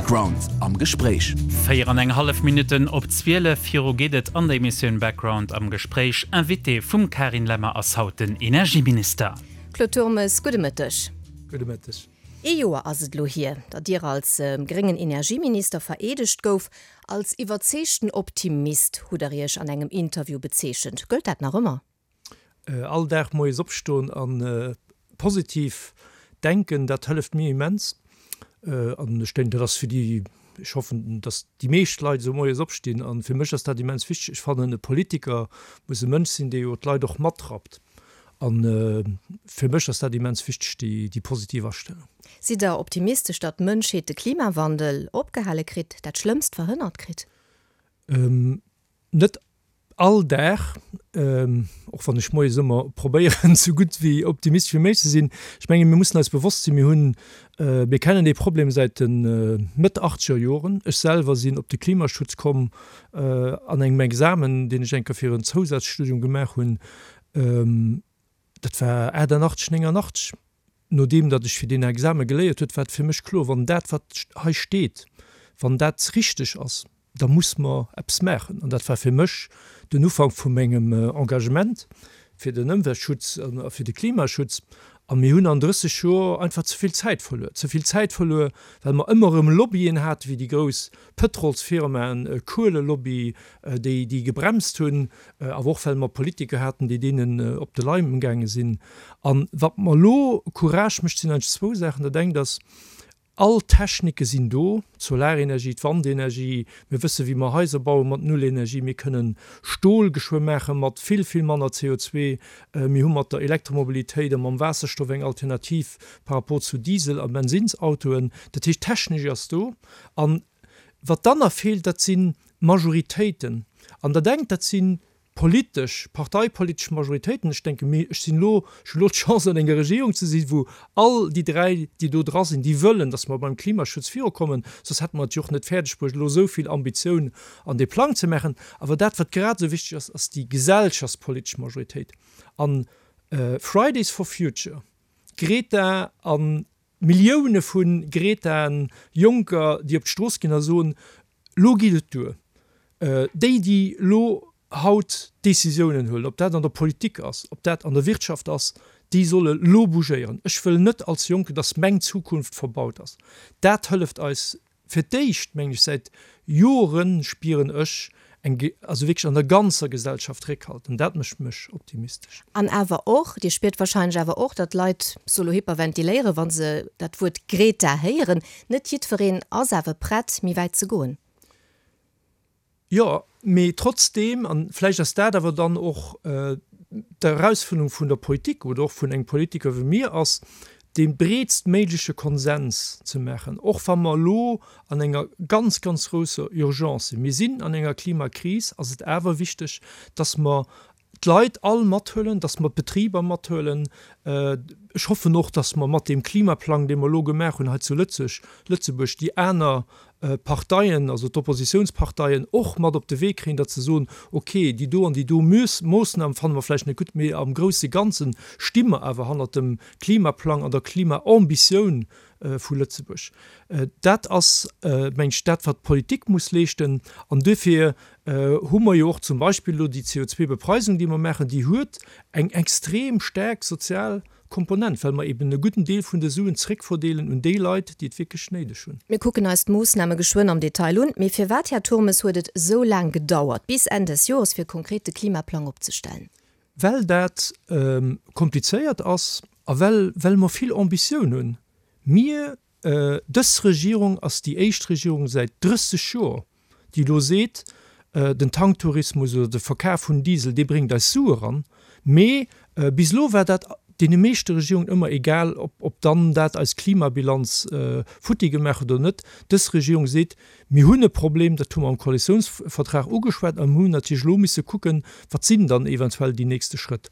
Background am Gespréich. 4 an eng hallef Minutten op 12, viru geet et an der Emissioun Background am Gespréich. Invité vum Carine Lemmer ass haut den Energieminister. Claude Turmes, gudde Mëtteg. Gudde Mëtteg. Ee Joer ass et elo hier, datt Dir als gréngen Energieminister vereedegt gouf. Als iwwerzeegten Optimist hutt Der Iech an engem Interview bezeechent. Gëllt dat nach ëmmer? All Dag moies opstoen a positiv denken, dat hëlleft mir immens. An ech denken, dat ass fir déi, ech hoffen, datt déi meescht Leit esou moies opstinn. A fir mech ass dat immens wichteg. Ech fannen, e Politiker muss e Mënsch sinn, dee jo d'Leit och matrappt. A fir mech ass dat immens wichteg, déi positiv Astellung. Sidd Der optimistesch, datt d'Mënschheet de Klimawandel opgehale kritt, dat Schlëmmst verhënnert kritt? Net all Dag, och wann ech moies ëmmer probéieren, sou gutt wéi optimistesch wéi méiglech ze sinn. Ech mengen, mir mussen eis bewosst sinn, mir hunn, mir kennen dee Problem säit de Mëtt achtzeger Joren. Ech selwer sinn op de Klimaschutz komm an engem Examen, deen ech eng Kéier fir en Zousazstudium gemaach hunn. Dat war 88, 89. Nodeem datt ech fir deen Exame geléiert huet, war et fir mech kloer, wann dat wat hei steet, wann dat richteg ass, da muss mer eppes maachen. An dat war fir mech den Ufank vu mengem Engagement fir den Ëmweltschutz a fir de Klimaschutz. A mir hunn an 30 Joer einfach ze vill Zäit verluer. Ze vill Zäit verluer, well mer ëmmer erëm Lobbyen haten, wéi déi grouss Pëtrolsfirmaen, Kuelelobby, déi déi gebremst hunn, awer och well mer Politiker haten, déi deenen op de Leim gaange sinn. A wat mer elo Courage mécht, sinn eigentlech zwou Saachen. Dat engt ass, all Technike sinn do, d'Solarenergie, d'Wandenergie, mir wësse wéi mer Haiser baue mat Nullenergie, mir kënnen Stol geschwë maache mat vill, vill manner CO2, mir hu mat der Elektromobilitéit a mam Waasserstoff eng Alternativ par rapport zu Diesel a Bensinnsautoen. Dat heescht, d'Technik ass do. An wat dann nach feelt, dat si Majoritéiten. An Der denkt, dat si politesch, parteipolitesch Majoritéiten. Ech denke mir, ech sinn elo, ech hunn elo d'Chance an enger Regierung ze sinn, wou all déi dräi, déi do dra sinn, déi wëllen, datt mer beim Klimaschutz virukommen. Soss hätte mer et jo och net fäerdeg bruecht, elo esou vill Ambitioun an dee Plang ze maachen. Awer dat, wat grad esou wichteg ass, ass déi gesellschaftspolitesch Majoritéit. An Fridays for Future, Greta an Millioune vu Gretaen, Jonker, déi op d'Strooss ginn a soen, Lo geet et duer. Déi, déi lo haut d'Décisiounen huelen, ob dat an der Politik ass, ob dat an der Wirtschaft ass, déi solle lo bougéieren. Ech wëll net als Jonken, datt meng Zukunft verbaut ass. Dat hëlleft eis Fir d'éischt, mengen ech, säit Jore spieren ech eng, also wierklech an der ganzer Gesellschaft Réckhalt an dat mécht mech optimistesch. An awer och, Dir spiert wahrscheinlech awer och, datt d'Leit solo hyperventiléieren, wa se dat Wuert Greta héieren. Net jiddwereen ass awer prett, méi wäit ze goen. Jo, mee trotzdeem, a vläicht ass dat awer dann och d'Erausfuerderung vun der Politik oder och vun engem Politiker wéi mir ass, dee breetstméigleche Konsens ze maachen, och wa mer elo an enger ganz, ganz grousser Urgence sinn. Mir sinn an enger Klimakris, ass et awer wichteg, dass mer d'Leit all mathuelen, dass mer d'Betriber mathuelen. Ech hoffen och, dass mer mat deem Klimaplang, dee mer elo gemaach hunn hei zu Lëtzesch, Lëtzebuerg, déi aner Parteien, also d'Oppositionsparteien och mat op de Wee kréien, datt se soen, okay, déi do an déi do Moossnam fanne mer vläicht net gutt, mee am grousse Ganze sti mer awer hannert dem Klimaplang an der Klimaambitioun vu Lëtzebuerg. Dat ass, meng ech, dat, wat d'Politik muss leeschten. An duerfir hu mer jo och zum Beispill elo déi CO2-Bepreisung, déi mer maachen, déi huet eng extrem staark sozial Komponent, well mer eben e gudden Deel vun de Suen zréckverdeelen un déi Leit, déi et wierklech néideg hunn. Mir kucken eis d'Moossname geschwënn am Detail un. Mee firwat, Här Turmes, huet et esou laang gedauert, bis Enn des Jores, fir konkret de Klimaplang opzestellen? Well dat komplizéiert ass a well well mer vill Ambitioun hunn. Mir, dës Regierung ass déi éischt Regierung säit 30 Joer, déi elo seet, den Tanktourismus oder de Verkaf vun Diesel, dee bréngt eis Sue eran, mee bis elo war dat deene meeschte Regierungen ëmmer egal, ob dann dat eis Klimabilanz futti gemaach huet oder net. Dës Regierung seet, mir hunn e Problem, dat hu mer am Koalitiounsvertrag ugeschwat a mir hunn natierlech elo misse kucken, wat sinn dann eventuell déi nächste Schrëtt.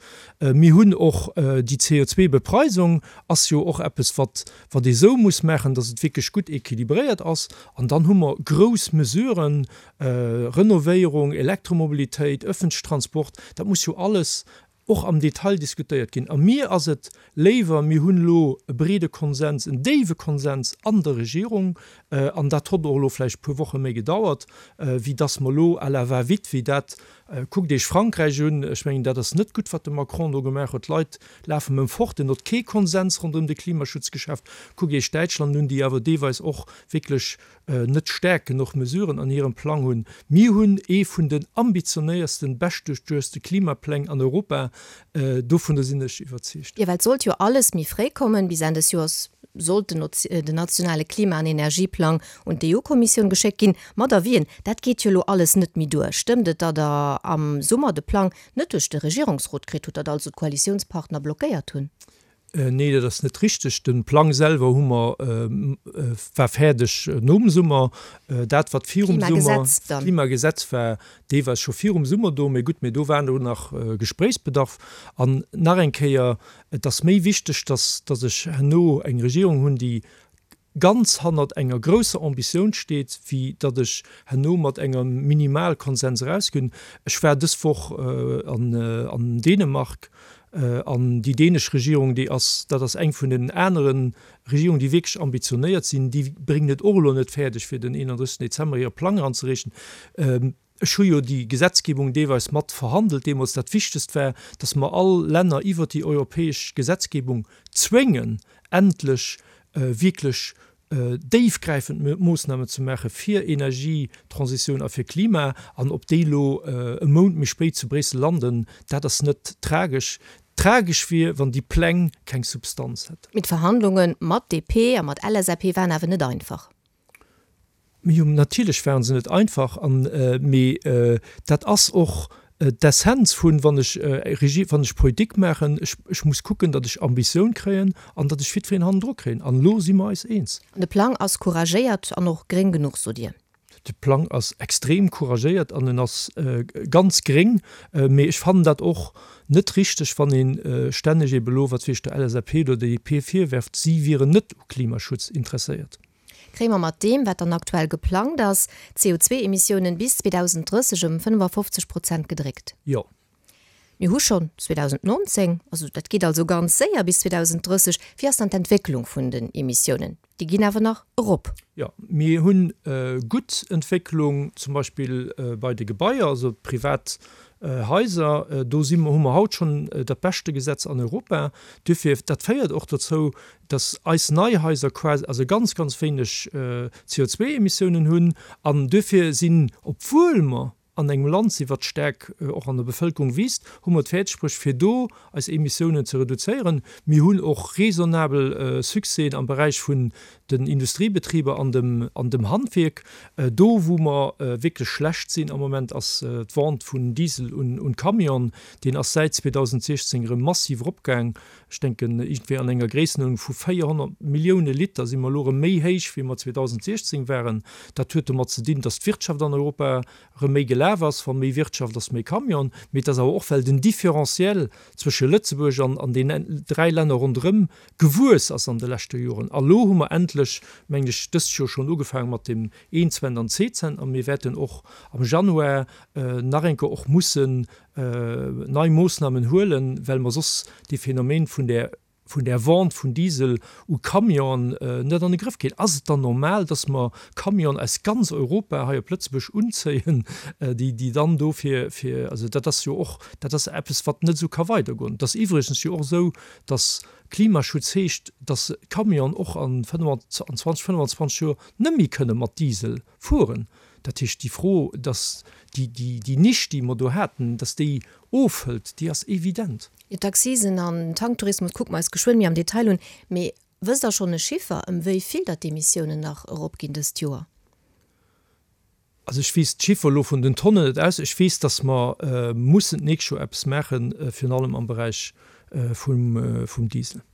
Mir hunn och déi CO2-Bepreisung ass jo och eppes, wat wat ee sou muss maachen, datt et wierklech gutt équilibréiert ass. An dann hu mer grouss Mesuren, Renovéierung, Elektromobilitéit, öffentliche Transport, dat muss jo alles. Och am Detail diskutéiert ginn. A mir ass et léiwer, mir hunn elo e breede Konsens, en déiwe Konsens an der Regierung, an dat hott och elo vläicht e puer Woche méi gedauert, wéi dass mer elo à la va-vite, wéi dat, kuckt Iech Frankräich un, ech mengen, dat ass net gutt, wat de Macron do gemaach huet, d'Leit lafen em fort, en hott kee Konsens ronderëm de Klimaschutz geschaaft. Kuckt Iech Däitschland un, déi awer deelweis och wierklech net staark genuch Mesuren an hirem Plang hunn. Mir hunn ee vun den ambitionéiersten, beschtduerchduechte Klimapläng an Europa, dovunner sinn ech iwwerzeegt. Jo, well et sollt jo alles méi fréi kommen. Bis Enn des Joers sollt den nationale Klima an Energieplang un d'EU-Kommissioun geschéckt ginn, mat Avisen. Dat geet jo elo alles net méi duer. Stëmmt et, datt Der am Summer de Plang net duerch de Regierungsrot kritt hutt, datt also d'Koalitiounspartner blockéiert hunn? Nee, dat ass net richteg. De Plang selwer hu mer, war fäerdeg nom Summer. Dat, wat virum Summer, d'Klimagesetz war deelweis scho virum Summer do. Mee gutt, mee do war elo nach Gespréichsbedarf. An nach eng Kéier, Et ass méi wichteg, dass, dass ech herno eng Regierung hunn, déi ganz hannert enger grousser Ambitioun steet, wéi datt ech herno mat engem Minimalkonsens erausginn. Ech war dës Woch an Dänemark an déi dänesch Regierung, déi ass, dat ass eng vun den anere Regierungen, déi wierklech ambitionéiert sinn, déi bréngen et och elo net fäerdeg, fir den 31 Dezember hire Plang eranzereechen. Ech hu jo déi Gesetzgebung deelweis mat verhandelt deemools. Dat Wichtegst war, dass mer all Länner iwwert déi europäesch Gesetzgebung zwéngen, endlech wierklech déifgräifend Moosnamen ze maache fir Energietransitioun a fir Klima. An ob déi elo e Mount méi spéit zu Bréissel landen, dat ass net tragesch. Tragesch wier, wann déi Pläng keng Substanz hätten. Mee d'Verhandlunge mat DP a mat LSAP waren awer net einfach. Jo, natierlech waren se net einfach, an, mee dat ass och d'Essenz vun, wann ech Regie, wann ech Politik maachen, ech, ech muss kucken, datt ech Ambitioun kréien an datt ech jiddwereen hannendru kréien. An elo si mer eis eens. An de Plang ass couragéiert an och gréng genuch, sot Dir? De Plang ass extrem couragéiert an en ass ganz gréng. Mee ech fannen dat och net richteg, wann ee stänneg ebe elo, wat weess ech, der LSAP oder der DP virwerft, si wieren net u Klimaschutz interesséiert. Kréie mer mat deem, wat dann aktuell geplangt ass, d'CO2-Emissiounen bis 2030 ëm 55 Prozent gedréckt? Jo. Mir hu schonn 2019, also dat geet also ganz séier bis 2030. Wéi ass dann d'Entwécklung vun den Emissiounen? Déi ginn awer nach erop. Jo, mir hunn gutt Entwécklung, zum Beispill bei de Gebaier, also privat Haiser. Do si mer, hu mer haut schonn dat beschte Gesetz an Europa. Duerfir, dat féiert och dozou, dass eis nei Haiser quasi, also ganz, ganz wéineg CO2-Emissiounen hunn an duerfir sinn, obwuel mer an engem Land sinn, wat staark och an der Bevëlkerung wiisst, hu mer et fäerdegbruecht, fir do eis Emissiounen ze reduzéieren. Mir hunn och raisonnabel Succèsen am Beräich vun den Industriebetriber an dem, an dem Handwierk. Do, wou mer wierklech schlecht sinn am Moment, ass d'Vente vun Diesel un Camion. Deen ass säit 2016 erëm massiv eropgaang. Ech denken, iergendwéi an enger Gréissenuerdnung vu 400 Millioune Liter si mer elo erëm méi héich, wéi mer 2016 waren. Dat huet domat ze dinn, datt d'Wirtschaft an Europa erëm méi gelaf ass. Wa méi Wirtschaft ass, méi Camion. Mee et ass awer och, well den Différentiel zwësche Lëtzebuerg an an den dräi Länner ronderëm gewuess ass an de leschte Joren. A lo hu mer endlech, mengen ech, dëst Joer schonn ugefaange mat dem Een-Cent an Zweezent a mir wäerten och am Januar nach eng Kéier och mussen nei Moossnamen huelen, well mer soss dee Phänomen vun där, vun där Vente vun Diesel u Camionen net an de Grëff kréien. Ass et dann normal, dass mer Camionen aus ganz Europa hei op Lëtzebuerg unzéien, déi, déi dann do fir, fir, also dat ass jo och, dat ass eppes, wat net esou ka weidergoen. Et ass iwwregens jo och esou, dass Klimaschutz heescht, dass Camionen och an 20, 25 Joer net méi kënne mat Diesel fueren. Dat heescht, déi Fro, dass déi, déi, déi Nisch, déi mer do haten, dass déi ofhëlt, déi ass evident. Jo, d'Accisen an den Tanktourismus kucke mer eis geschwënn méi am Detail un. Mee wësst Der schonn e Chiffer, ëm wéi vill datt d'Emissiounen nach eropginn dëst Joer? Also ech weess d'Chiffer elo vun den Tonnen net aus. Ech weess, dass mer mussen d'nächst Joer eppes maachen, virun allem am Beräich vum, vum Diesel.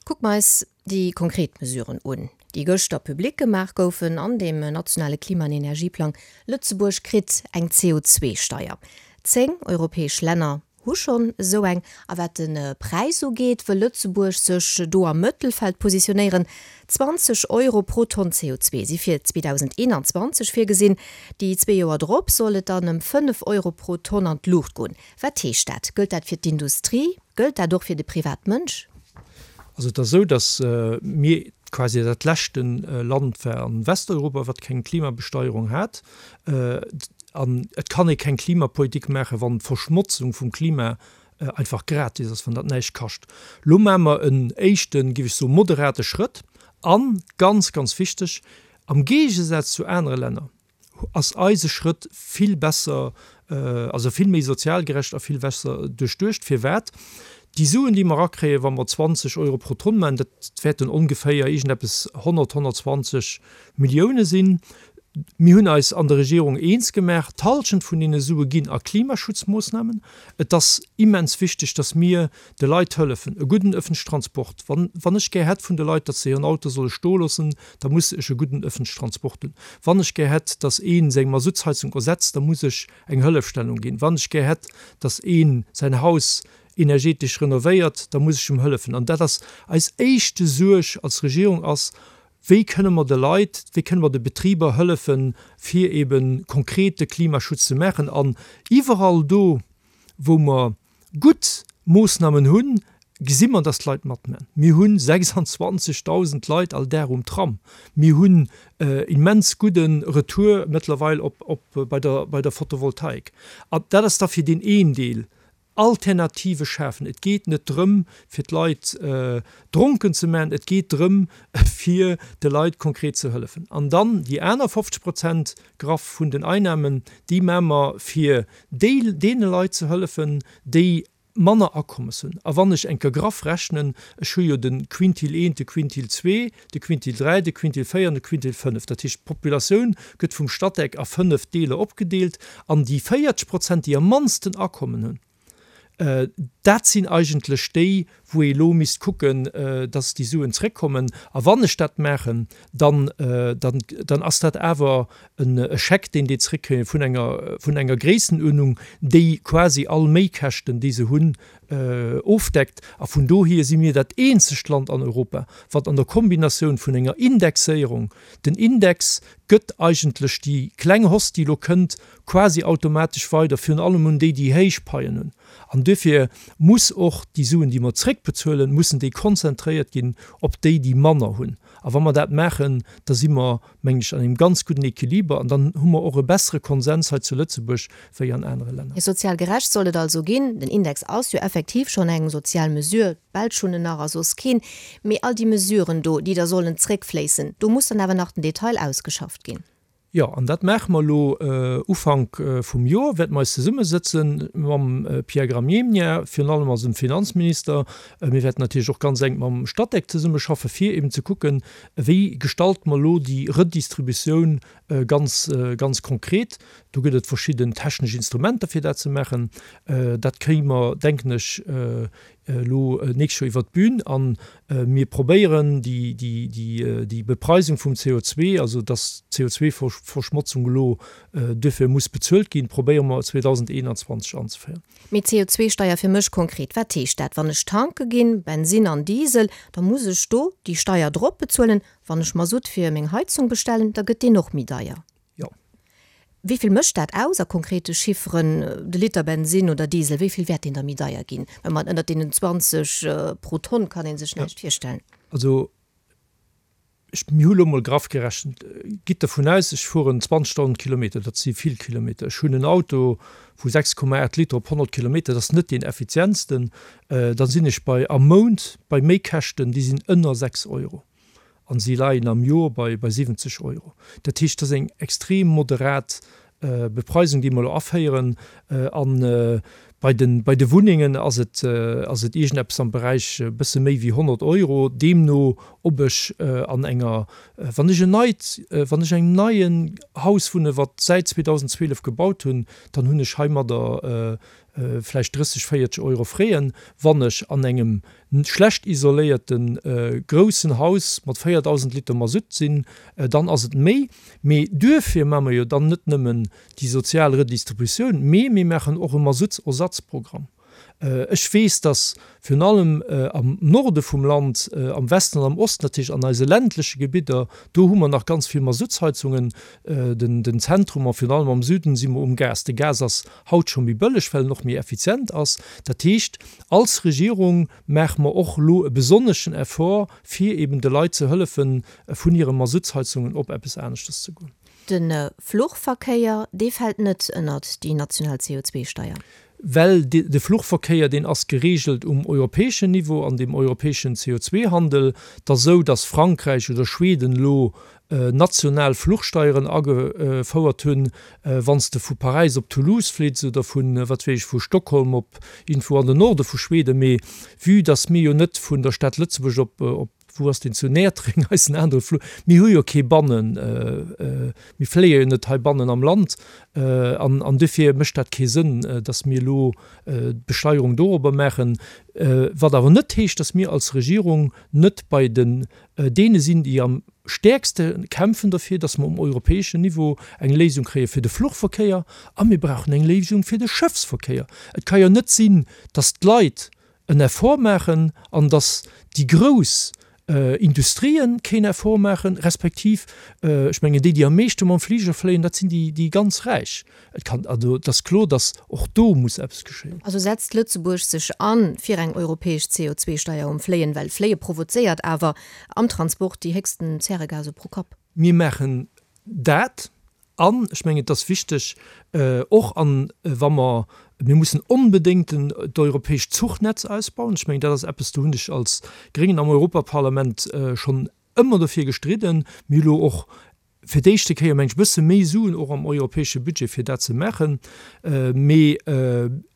Kucke mer eis déi konkret Mesuren un, déi gëschter public gemaach goufen an deem nationale Klima an Energieplang. Lëtzebuerg kritt eng CO2-Steier. 10 europäesch Länner. hu schonn esou eng. A wat de Präis ugeet, wëll Lëtzebuerg sech do am Mëttelfeld positionéieren. 20 Euro pro Tonn CO2 si fir 2021 virgesinn. Déi zwee Joer drop soll et dann ëm 5 Euro pro Tonn an d'Luucht goen. Wat heescht dat? Gëllt dat fir d'Industrie? Gëllt dat och fir de Privatmënsch? Also et ass esou, datt mir quasi dat leschte Land war an Westeuropa, wat keng Klimabesteierung hat. An et kann ee keng Klimapolitik maachen, wann d'Verschmotzung vum Klima einfach gratis ass, wann dat näischt kascht. Elo maache mer en éischten, géif ech soen, moderate Schrëtt. An, ganz, ganz wichteg, am Géigesaz zu anere Länner ass eise Schrëtt vill besser, also vill méi sozial gerecht a vill besser duerchduecht. Firwat? Déi Suen, déi mer erakréien, wa mer 20 Euro pro Tonn maachen, dat wäerten ongeféier iergendeppes 100, 120 Millioune sinn. Mir hunn eis an der Regierung eens gemaach, d'Hallschent vun deene Sue ginn a Klimaschutzmoossnamen. Et ass immens wichteg, datt mir de Leit hëllefen, e gudden öffentlichen Transport. Wann, wann ech gär hätt vun de Leit, datt se hiren Auto solle stoe loossen, da muss ech e gudden öffentlichen Transport hunn. Wann ech gär hätt, datt ee seng Masuttsheizung ersetzt, da muss ech eng Hëllefstellung ginn. Wann ech gär hätt, datt ee säin Haus energetesch renovéiert, da muss ech em hëllefen. An dat ass eis éischte Suerg als Regierung ass, Wéi kënne mer de Leit, wéi kënne mer de Betriber hëllefen, fir ebe konkret de Klimaschutz ze maachen? An iwwerall do, wou mer gutt Moossnamen hunn, gesi mer, dass d'Leit matman. Mir hu 26.000 Leit all Dag um Tram. Mir hunn immens gudde Retour mëttlerweil op bei der Photovoltaik. An dat ass da fir deen een Deel. Alternative schafen. Et geet net drëm, fir d'Leit dronken ze maachen, et geet drëm, fir de Leit konkret ze hëllefen. An dann déi aner 50 Prozent graff vun den Einnahmen, déi maache mer, fir déi, deene Leit ze hëllefen, déi manner Akommes hunn. A wann ech eng Kéier graff rechnen, ech hu jo de Quintil eent, de Quintil zwee, de Quintil dräi, de Quintil véier an de Quintil fënnef, dat heescht d'Populatioun gëtt vum Statec a fënnef Deeler opgedeelt an déi 40 Prozent, déi am mannsten Akommen hunn, dat sinn eigentlech déi, wou ee elo misst kucken, dass déi Suen zréckkommen. A wann ech dat maachen, dann, dann, dann ass dat awer e Scheck, deen déi zréckkréien vun enger, vun enger Gréissenuerdnung, déi quasi all Méikäschten, déi se hunn, ofdeckt. A vun dohier si mir dat eenzegt Land an Europa, wat an der Kombinatioun vun enger Indexéierung, den Index gëtt eigentlech déi kleng Hausse, déi elo kënnt, quasi automatesch weider, virun allem un déi, déi héich Paien hunn. An duerfir muss och déi Suen, déi mer zréckbezuelen, mussen déi konzentréiert ginn op déi, déi manner hunn. A wa mer dat maachen, da si mer, mengen ech, an engem ganz gudden Equiliber an dann hu mer och e bessere Konsens hei zu Lëtzebuerg wéi an anere Länner. Sozial gerecht soll et also ginn. Den Index ass jo effektiv schonn eng sozial Mesure, d'Belsch hunn en nach a soss keen. Mee all déi Mesuren do, déi da sollen zréckfléissen, do muss dann awer nach den Detail ausgeschafft ginn. Jo, an dat maache mer elo Ufank vum Joer, wäerte mer eis zesummesëtze mam Pierre Gramegna, virun allem als dem Finanzminister. Mir wäerten natierlech och ganz enk mam Statec zesummeschaffen, fir eben ze kucken, wéi gestalte mer elo déi Redistributioun ganz, ganz konkret. Do gëtt et verschidden technesch Instrumenter, fir dat ze maachen. Dat kréie mer, denken ech, elo nächst Joer iwwert d'Bün a mir probéieren déi Bepreisung vum CO2, also dass d'CO2-Verschmotzung elo duerfir muss bezuelt ginn, probéiere mer 2021 anzeféieren. Mee CO2-Steier fir mech konkret, wat heescht dat? Wann ech tanke ginn, Bensinn an Diesel, da muss ech do déi Steier drop bezuelen. Wann ech Masutt fir meng Heizung bestellen, da gëtt deen och méi deier. Jo. Wéi vill mécht dat aus a konkrete Chifferen, de Liter Bensinn oder Diesel, wéi vill wäert deen da méi deier ginn? Well mat ënnert deenen 20 pro Tonn kann ee sech näischt virstellen. Also ech, mir hu lo mol graff gerechent, gitt dervun aus, ech fueren 20.000 Kilometer, dat si vill Kilometer, ech hunn en Auto vu 6,8 Liter op 100 Kilometer, dat ass net deen effizientsten, da sinn ech bei am Mount bei Méikäschten, déi sinn ënner 6 Euro. An si leien am Joer bei bei 70 Euro. Dat heescht, dat ass eng extrem moderat Bepreisung, déi mer elo aféieren. A bei de bei de Wunnengen ass et ass et iergendeppes am Beräich e bësse méi wéi 100 Euro. Deemno ob ech an enger, wann ech en neit, wann ech engem neien Haus wunne wat säit 2012 gebaut hunn, dann hunn ech heimadder vläicht 30, 40 Euro freeën, wann ech an engem schlecht isoléierte groussen Haus mat 4.000 Liter Masutt sinn, dann ass et méi. Mee duerfir maache mer jo dann net nëmmen déi sozial Redistributioun, mee mir maachen och e Masuttsersatzprogramm. Ech weess, datt virun allem am Norde vum Land, am Westen an am Osten, dat heescht an eise ländleche Gebidder, do hu mer nach ganz vill Masuttsheizungen. Den Zentrum a virun allem am Süden si mer um Gas. De Gas ass haut scho méi bëlleg, well en och méi effizient ass. Dat heescht, als Regierung maache mer och elo e besonneschen Effort, fir eben de Leit ze hëllefen, vun hire Masuttsheizungen op eppes aneschters ze goen. De Fluchverkéier, dee fält net ënnert déi national CO2-Steier. Well de Fluchverkéier, deen ass geregelt um europäeschen Niveau, an deem europäeschen CO2-Handel. Et ass esou, datt Frankräich oder Schweden elo national Fluchsteieren agefouert hunn. Wann s de vu Paräis op Toulouse flitts oder vu, wat weess ech, vu Stockholm op iergendwou an den Norde vu Schweden. Mee vue datt mir jo net vun der Stad Lëtzebuerg op, op, wou ass deen, zu Näertreng eisen anere Fluch, mir hu jo kee bannen, mir fléie jo net heibannen am Land an, an duerfir mécht dat kee Sënn, datt mir elo d'Besteierung dorobber maachen. Wat awer net heescht, datt mir als Regierung net bei den deene sinn, déi am stäerkste kämpfen derfir, datt mer um europäeschen Niveau eng Léisung kréie fir de Fluchverkéier a mir brauchen eng Léisung fir de Schëffsverkéier. Et ka jo net sinn, datt d'Leit en Effort maachen an datt déi grouss Industrien keen Effort maachen, respektiv, ech mengen, déi, déi am meeschte mam Fliger fléien, dat sinn déi ganz Räich. Et kann, also et ass kloer, datt och do muss eppes geschéien. Also setzt Lëtzebuerg sech a fir eng europäesch CO2-Steier um Fléien, well Fléie provozéiert awer am Transport déi héchsten Zäregase pro Kapp. Mir maachen dat an ech mengen, et ass wichteg och an wa mer, mir mussen onbedéngt den d'europäescht Zuchnetz ausbauen. Ech mengen, dat ass eppes, do hunn ech als Gréngen am Europaparlament schonn ëmmer dofir gestridden. Mir hu lo och fir d'éischte Kéier, meng ech, e bësse méi Suen och am europäesche Budget, fir dat ze maachen. Mee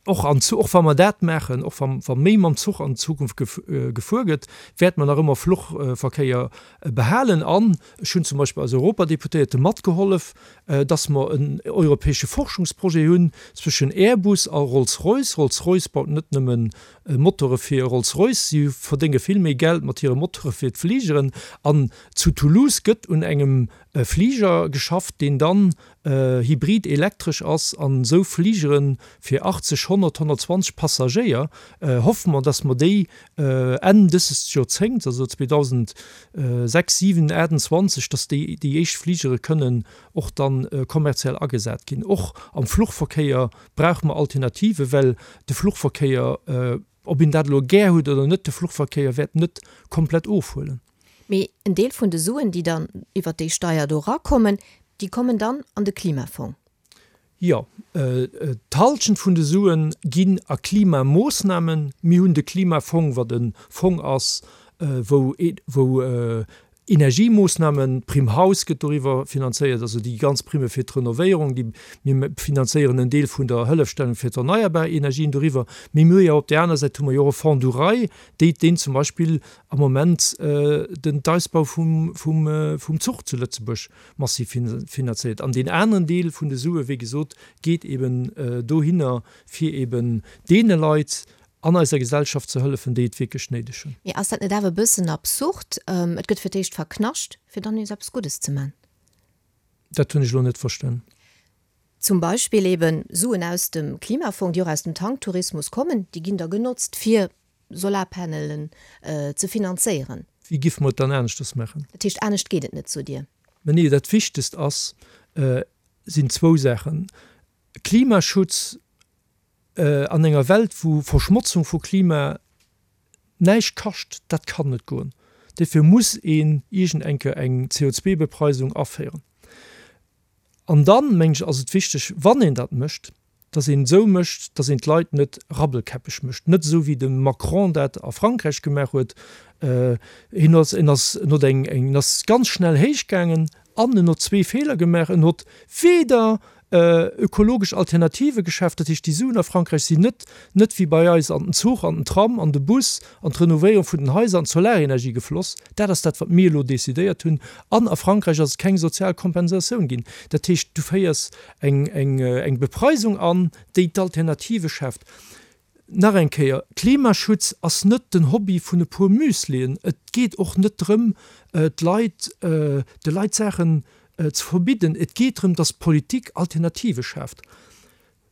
och an, och wa mer dat maachen, och wa, wa méi mam Zuch an Zukunft gefuer gëtt, wäerte mer nach ëmmer Fluchverkéier behalen. An ech hunn zum Beispill als Europadeputéierte matgehollef, dass mer en europäesche Forschungsprojet hunn zwëschen Airbus a Rolls-Royce. Rolls-Royce baut net nëmmen Motore fir Rolls-Royce, si verdénge vill méi Geld mat hire Motore fir d'Fligeren. An zu Toulouse gëtt un engem Fliger geschafft, deen dann hybrid-elektresch ass. An esou Fligere fir 80, 100, 120 Passagéier hoffe mer, dass mer déi Enn dëses Joerzéngts, also 2006, 7, 28, dass déi déi éischt Fligere kënnen och dann kommerziell agesat ginn. Och am Fluchverkéier brauche mer Alternative, well de Fluchverkéier, ob een dat elo gär huet oder net, de Fluchverkéier wäert net komplett ofhuelen. Mee en Deel vun de Suen, déi dann iwwert déi Steier do erakommen, déi kommen dann an de Klimafong. Jo, d'Halschent vun de Sue ginn a Klimamoossnamen. Mir hunn de Klimafong, wat e Fong ass, wou Energiemoossnamen, d'Prime Haus gëtt doriwwer finanzéiert, also déi ganz Primme fir d'Renovéierung, déi mir finanzéieren en Deel vun der Hëllefstellung fir d'erneierbar Energien doriwwer. Mee mir hu jo op där aner Säit hu mer jo och e Fonds du rail, déi deen zum Beispill am Moment den d'Ausbau vum vum vum Zuch zu Lëtzebuerg massiv finanzéiert. An deen aneren Deel vun de Sue, wéi gesot, geet eben dohinner, fir eben deene Leit an eiser Gesellschaft ze hëllefen, déi et wierklech néideg hunn. Mee ass dat net awer e bëssen absurd? Et gëtt fir d'éischt verknascht, fir dann nees eppes Guddes ze man. Dat hunn ech elo net verstan. Zum Beispill eben Suen aus dem Klimafong, déi och aus dem Tanktourismus kommen, déi ginn da genotzt, fir Solarpanelen ze finanzéieren. Wéi giffe mer et dann aneschters maachen? Dat heescht, anescht geet et net, sot Dir? Mä nee, dat Wichtegst ass, sinn zwou Saachen, Klimaschutz An enger Welt, wou Verschmotzung vu Klima näischt kascht, dat kann net goen. Dofir muss een iergend eng Kéier eng CO2-Bepreisung aféieren. An dann, mengen ech, ass et wichteg, wann een dat mécht, dass een et esou mécht, dass een d'Leit net rabbelkäppeg mécht, net esou wéi de Macron dat a Frankräich gemaach huet. Hien ass, en ass, en huet eng, en ass ganz schnell héich gaangen an en huet zwee Feeler gemaach. En huet weder ökologesch Alternative geschaaft, dat heescht déi Suen a Frankräich sinn net net wéi bei eis an den Zuch, an den Tram, an de Bus, an d'Renovéierung vun den Haiser, an d'Solarenergie gefloss. Dat ass dat wat mir elo decidéiert hunn. An a Frankräich ass et keng sozial Kompensatioun ginn. Dat heescht du féiers eng eng eng Bepreisung an, déi d'Alternative schaaft. Nach eng Kéier, Klimaschutz ass net den Hobby vun e puer Müslien. Et geet och net drëm, d'Leit, de Leit Saachen ze verbidden. Et geet drëm, datt d'Politik Alternative schaaft.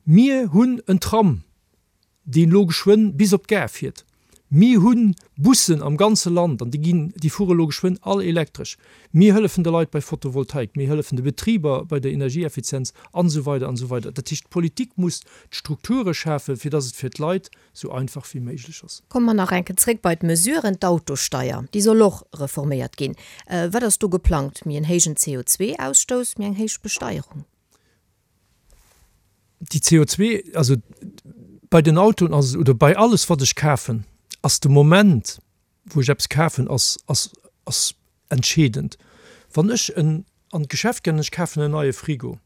Mir hunn en Tram. deen elo geschwënn bis op d'Gare fiert. Mir hu Bussen am ganze Land an déi ginn, déi fuere elo geschwënn all elektresch. Mir hëllefen de Leit bei Photovoltaik, mir hëllefen de Betriber bei der Energieeffizienz an esou weider an esou weider. Dat heescht, d'Politik muss d'Strukture schafen, fir dass et fir d'Leit esou einfach wéi méiglech ass. Komme mer nach eng Kéier zréck bei d'Mesuren. D'Autosteier, déi soll och reforméiert ginn. Wat ass do geplangt? Méi en héijen CO2-Ausstouss, méi eng héich Besteierung? Déi CO2, also bei den Autoen ass et, oder bei alles wat ech kafen, ass de Moment wou ech eppes kafen ass ass ass entscheedend. Wann ech en an d'Geschäft ginn an ech kafen en neie Frigo,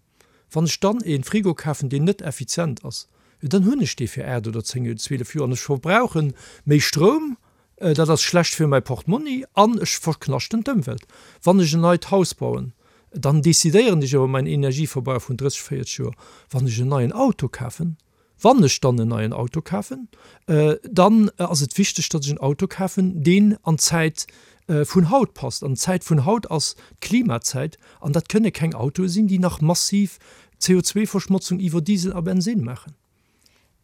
wann ech dann e Frigo kafen deen net effizient ass, jo dann hunn ech dee fir 8 oder 10 oder 12 Joer an ech verbrauche méi Stroum, dat ass schlecht fir mäi Portmonni an ech verknaschten d'Ëmwelt. Wann ech en neit Haus bauen, dann decidéieren ech iwwer mäin Energieverbrauch vun 30, 40 Joer. Wann ech en neien Auto kafen, wann ech dann en neien Auto kafen, dann ass et wichteg, datt ech en Auto kafen, deen an d'Zäit vun haut passt. An d'Zäit vun haut ass d'Klimazäit an dat kënne keng Autoe sinn, déi nach massiv CO2-Verschmotzung iwwer Diesel a Bensinn maachen.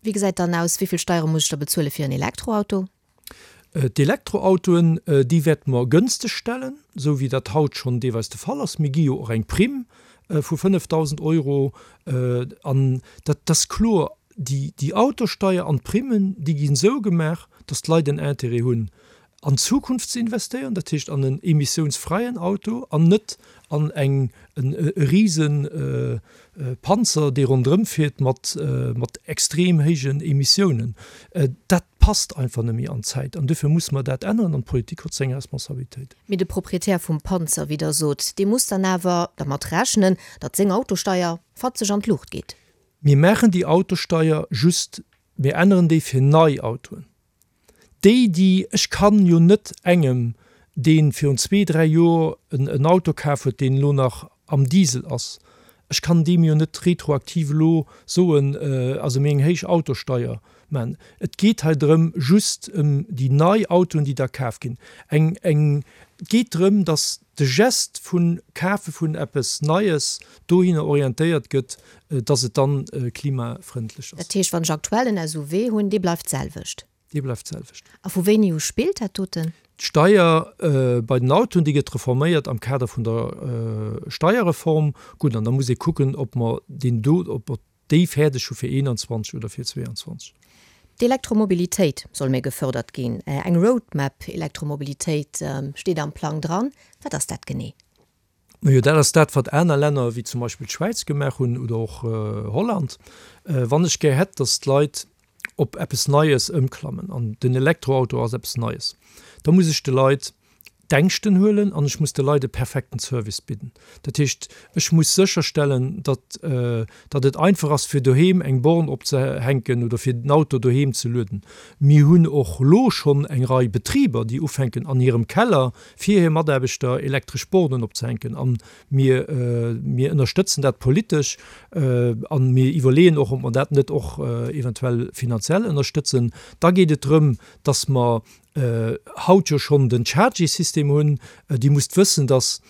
Wéi gesäit dann aus, wéi vill Steiere muss ech da bezuele fir en Elektroauto? D'Elektroautoen, déi wäerte mer gënsteg stellen, esou wéi dat haut schonn deelweis de Fall ass. Mir gi jo och eng Primm vu 5.000 Euro. An dat ass kloer, déi Autosteier an d'Primmen, déi ginn esou gemaach, datt d'Leit en Intérêt hunn, an d'Zukunft ze investéieren, dat heescht an en emissiounsfräien Auto an net an eng e rise Panzer, dee ronderëm fiert mat mat extrem héijen Emissiounen. Dat passt einfach net méi an d'Zäit an duerfir musse mer dat änneren an d'Politik huet seng Responsabilitéit. Mee de Proprietär vum Panzer, wéi Der sot, dee muss dann awer dermat rechnen, datt seng Autosteier fatzeg an d'Luucht geet. Mir maachen déi Autosteier just, mir änneren déi fir nei Autoen. Déi, déi, ech kann jo net engem, dee virun zwee, dräi Joer en Auto kaf huet, deen elo nach am Diesel ass, ech kann deem jo net retroaktiv elo soen, also mir eng héich Autosteier maachen. Et geet hei drëm, just ëm déi nei Autoen, déi da kaf ginn. Eng, eng, et geet drëm, datt de Geste vu Kafe vun eppes Neies dohinner orientéiert gëtt, datt et dann klimafrëndlech ass. Dat heescht, wann ech aktuell en SUV hunn, dee bleift d'selwecht? Dee bleift d'selwecht. A vu wéini u spillt dat doten? D'Steier bei den Autoen, déi gëtt reforméiert am Kader vun der Steierreform. Gutt, an da muss ee kucken, ob mer deen do, ob mer déi fäerdeg hu fir 21 oder fir 22. D'Elektromobilitéit soll méi gefördert ginn. Eng Roadmap Elektromobilitéit steet am Plang dran. Wat ass dat genee? Majo, dat ass dat, wat aner Länner, wéi zum Beispill d'Schwäiz gemaach hunn oder och Holland. Wann ech gär hätt, datt d'Leit op eppes Neies ëmklammen, an den Elektroauto ass eppes Neies, da muss ech de Leit d'Ängschten huelen an ech muss de Leit e perfekten Service bidden. Dat heescht, ech muss sécherstellen, datt datt et einfach ass, fir doheem eng Born opzehänken oder fir den Auto doheem ze lueden. Mir hunn och elo schonn eng Rei Betriber, déi ufänken, an hirem Keller fir hir Mataarbechter elektresch Bornen opzehänken. A mir, mir ënnerstëtzen dat politesch a mir iwwerleeën och, ob mer dat net och eventuell finanziell ënnerstëtzen. Da geet et drëm, dass mer haut jo schonn den Chargy-System hunn. Dir musst wëssen, dass,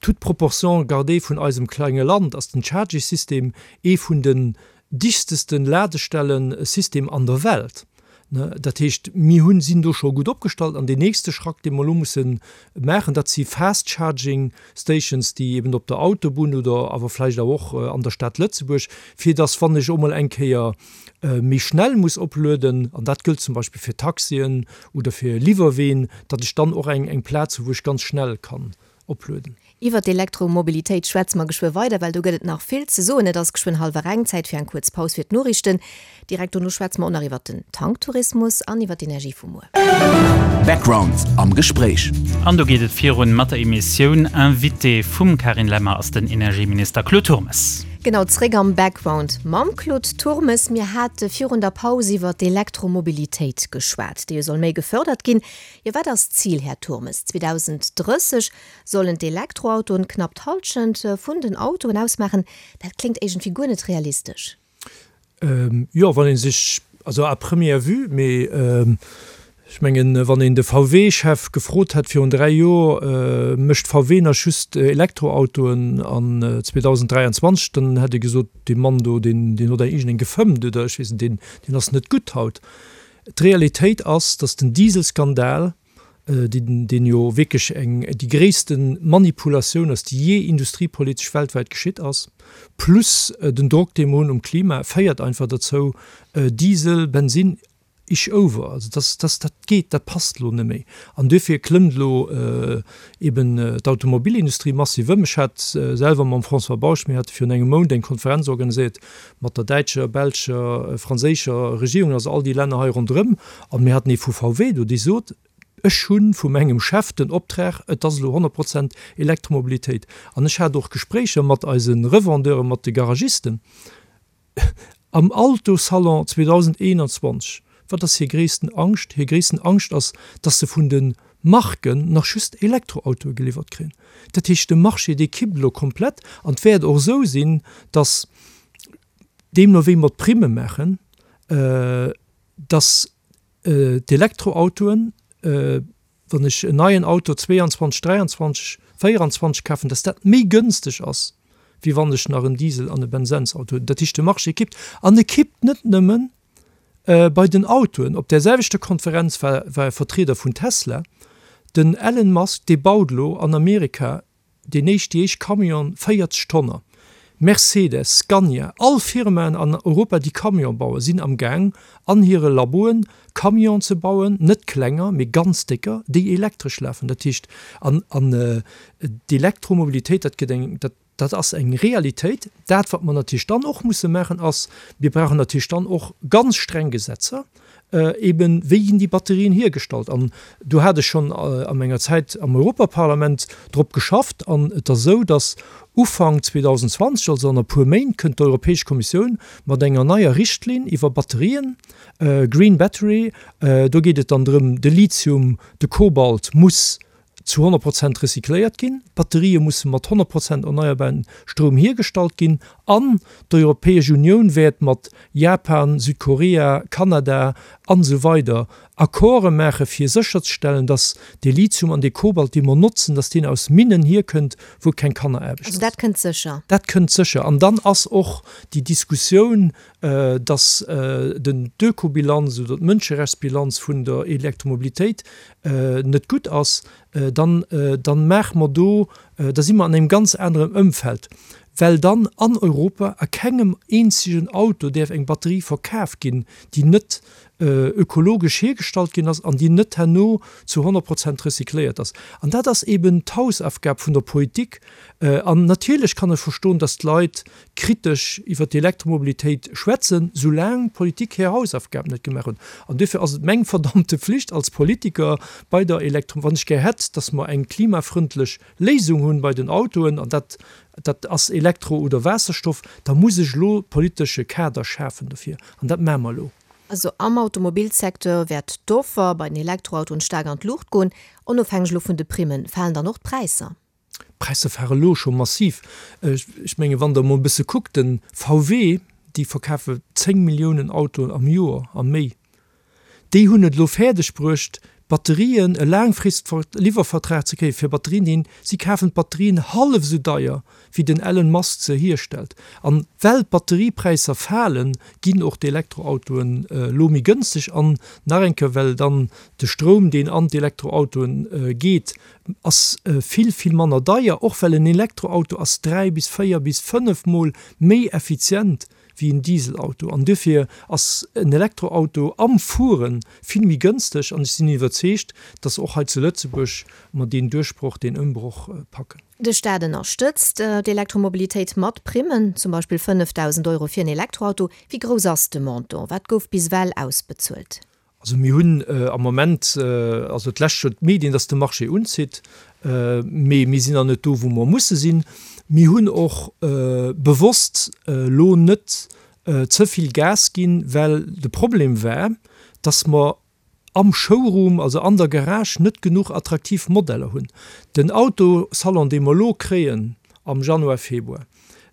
toute proportion gardée vun eisem klenge Land, ass den Chargy-System ee vun den dichteste Ladestellen-System an der Welt. Dat heescht, mir hunn, sinn do scho gutt opgestallt. An deen nächste Schrack, dee mer elo musse maachen, dat si Fast Charging Stations, déi eben op der Autobunn oder awer vläicht awer och an der Stad Lëtzebuerg, fir dass, wann ech och mol eng Kéier méi schnell muss oplueden, an dat gëllt zum Beispill fir Taxien oder fir Liwwerween, datt ech dann och eng Plaz hu wou ech ganz schnell kann oplueden. Iwwer d'Elektromobilitéit schwätze mer geschwë weider, well do gëtt et nach vill ze soen. Et ass geschwënn hallwer eng, Zäit fir eng kuerz Paus fir d'Noriichten. Direkt dono schwätze mer och nach iwwer den Tanktourismus an iwwer d'Energie vu muer. Background am Gespréich. An do geet et virun mat der Emissioun. Invité vum Carine Lemmer ass den Energieminister Claude Turmes. Genau, zréck am Background mam Claude Turmes. Mir hate virun der Paus iwwer d'Elektromobilitéit geschwat, déi jo soll méi gefërdert ginn. Jo, wat ass d'Zil, Här Turmes? 2030 sollen d'Elektroautoen knapp d'Hallschent vun den Autoen ausmaachen. Dat kléngt iergendwéi guer net realistesch. Jo, wann ee sech, also à première vue, mee. Ech mengen, wann een de VW-Chef gefrot hätt virun 3 Joer, Mécht VW nach just Elektroautoen an 2023? dann hätt e gesot, Dee Mann do, deen huet iergendeng gefëmmt oder ech weess net, deen, deen ass net gutt haut. D'Realitéit ass, datt den Dieselskandal, deen, deen jo wierklech eng, déi gréisste Manipulatioun ass, déi jee industriepolitesch weltwäit geschitt ass, plus den Drock, dee mer hunn um Klima, féiert einfach derzou, Diesel, Bensinn, Ish over, also dass, dass dat geet, dat passt elo net méi. An duerfir klëmmt elo eben d'Automobilindustrie massiv ëm. Ech hat selwer mam François Bausch, mir hate virun engem Mount eng Konferenz organiséiert mat der däitscher, belscher, franséischer Regierung, also all déi Länner hei ronderëm, an mir haten ee vu VW do, dee sot, Ech hu vu mengem Chef den Optrag, et ass elo 100 Prozent Elektromobilitéit. An ech hat och Gespréicher mat eise Revendeuren, mat de Garagisten. Am Autosalon 2021, wat ass hir gréissten Angscht? Hir gréissten Angscht ass, dass se vun de Marken nach just Elektroautoe geliwwert kréien. Dat heescht, de Marché, dee kippt elo komplett. An et wäert och esou sinn, dass, deemno wéi mer d'Primme maachen, dass d'Elektroautoen, wann ech en neien Auto 22, 23, 24 kafen, dass dat méi gënsteg ass, wéi wann ech nach en Diesel an e Bensinsauto hunn. Dat heescht, de Marché kippt. An e kippt net nëmmen bei den Autoen. Op där selwechter Konferenz war e Vertrieder vun Tesla. Den Elon Musk, dee baut elo an Amerika Deen éischt, déi éischt Camion, 40 Tonner. Mercedes, Scania, all Firmaen an Europa déi Camion bauen, sinn am Gaang an hire Laboen Camion ze bauen, net klenger, mee ganz décker, déi elektresch lafen. Dat heescht, an, an d'Elektromobilitéit, dat gëtt eng, dat, dat ass eng Realitéit. Dat wat mer natierlech dann och musse maachen ass, mir brauchen natierlech dann och ganz streng Gesetzer, Eben, wéi ginn déi Batterien hiergestallt? An do hat ech schonn a menger Zäit am Europaparlament drop geschafft. An et ass esou, datt Ufank 2020, also an e puer Méint, kënnt d'Europäesch Kommissioun mat enger neier Richtlinn iwwer Batterien, Green Battery. Do geet et dann drëm, de Lithium, de Kobalt muss zu 100 Prozent recycléiert ginn, d'Batterië musse mat 100 Prozent erneierbaren Stroum hiergestallt ginn an d'Europäesch Unioun wäert mat Japan, Südkorea, Kanada an esou weider Accorde maache fir sécherzestellen, datt dee Lithium an dee Kobalt, dee mer notzen, datt deen aus Minnen hierkënnt, wou keng Kanneraarbecht ass. Also dat kënnt sécher. Dat kënnt sécher. An dann ass och déi Diskussioun, datt den d'Ökobilanz oder d'Mënscherechtsbilanz vun der Elektromobilitéit net gutt ass, dann, dann maache mer do, da si mer an engem ganz anerem Ëmfeld, well dann an Europa a kengem eenzegen Auto däerf eng Batterie verkaf ginn, déi net ökologesch hiergestallt ginn ass an déi net herno zu 100 Prozent recycléiert ass. An dat ass eben d'Hausaufgab vun der Politik. An natierlech kann ech verstoen, dass d'Leit kritesch iwwer d'Elektromobilitéit schwätzen, soulaang d'Politik hir Hausaufgaben net gemaach huet. An duerfir ass et meng verdammte Pflicht als Politiker bei der Elektro, wann ech gär hätt, dass mer eng klimafrëndlech Léisung hunn bei den Autoen, an dat, dat ass Elektro oder Waasserstoff, da muss ech elo politesche Kader schafen dofir. An dat maache mer elo. Also am Automobilsecteur wäert d'Offer bei den Elektroautoen staark an d'Luucht goen. Onofhängeg elo vun de Primmen, falen dann och d'Präisser? D'Präisser fare lo scho massiv. Ech menge wann Der emol e bësse kuckt, de VW, déi verkafe 10 Milliounen Autoen am Joer a méi, déi hunn et elo fäerdeg bruecht, Batterien, e Laangfrist-Liwwervertrag ze kréie fir Batterien, deen, si kafen d'Batterien hallef esou deier wéi den Elon Musk se hierstellt. An well d'Batteriepräisser falen, ginn och d'Elektroautoen elo méi gënschteg. An nach eng Kéier, well dann de Stroum, deen an d'Elektroautoen geet, Ass vill, vill manner deier, och well en Elektroauto ass 3 bis 4 bis 5 mol méi effizient wéi en Dieselauto an duerfir ass en Elektroauto am Fuere vill méi gënsteg an ech sinn iwwerzeegt, dass och hei zu Lëtzebuerg mer deen Duerchbroch, deen Ëmbroch packen. De Staat ënnerstëtzt d'Elektromobilitéit mat Primmen, zum Beispill 5.000 Euro fir en Elektroauto. Wéi grouss ass de Montant? Wat gouf bis ewell ausbezuelt? Also mir hunn am Moment, also d'lescht Joer d'Medien, datt de Marché unzitt, mee mir sinn nach net do, wou mer musse sinn. Mir hunn och bewosst elo net ze vill Gas ginn, well de Problem war, datt mer am Showroom, also an der Garage, net genuch attraktiv Modeller hunn. Den Autosalon, dee mer elo kréien am Januar, Februar,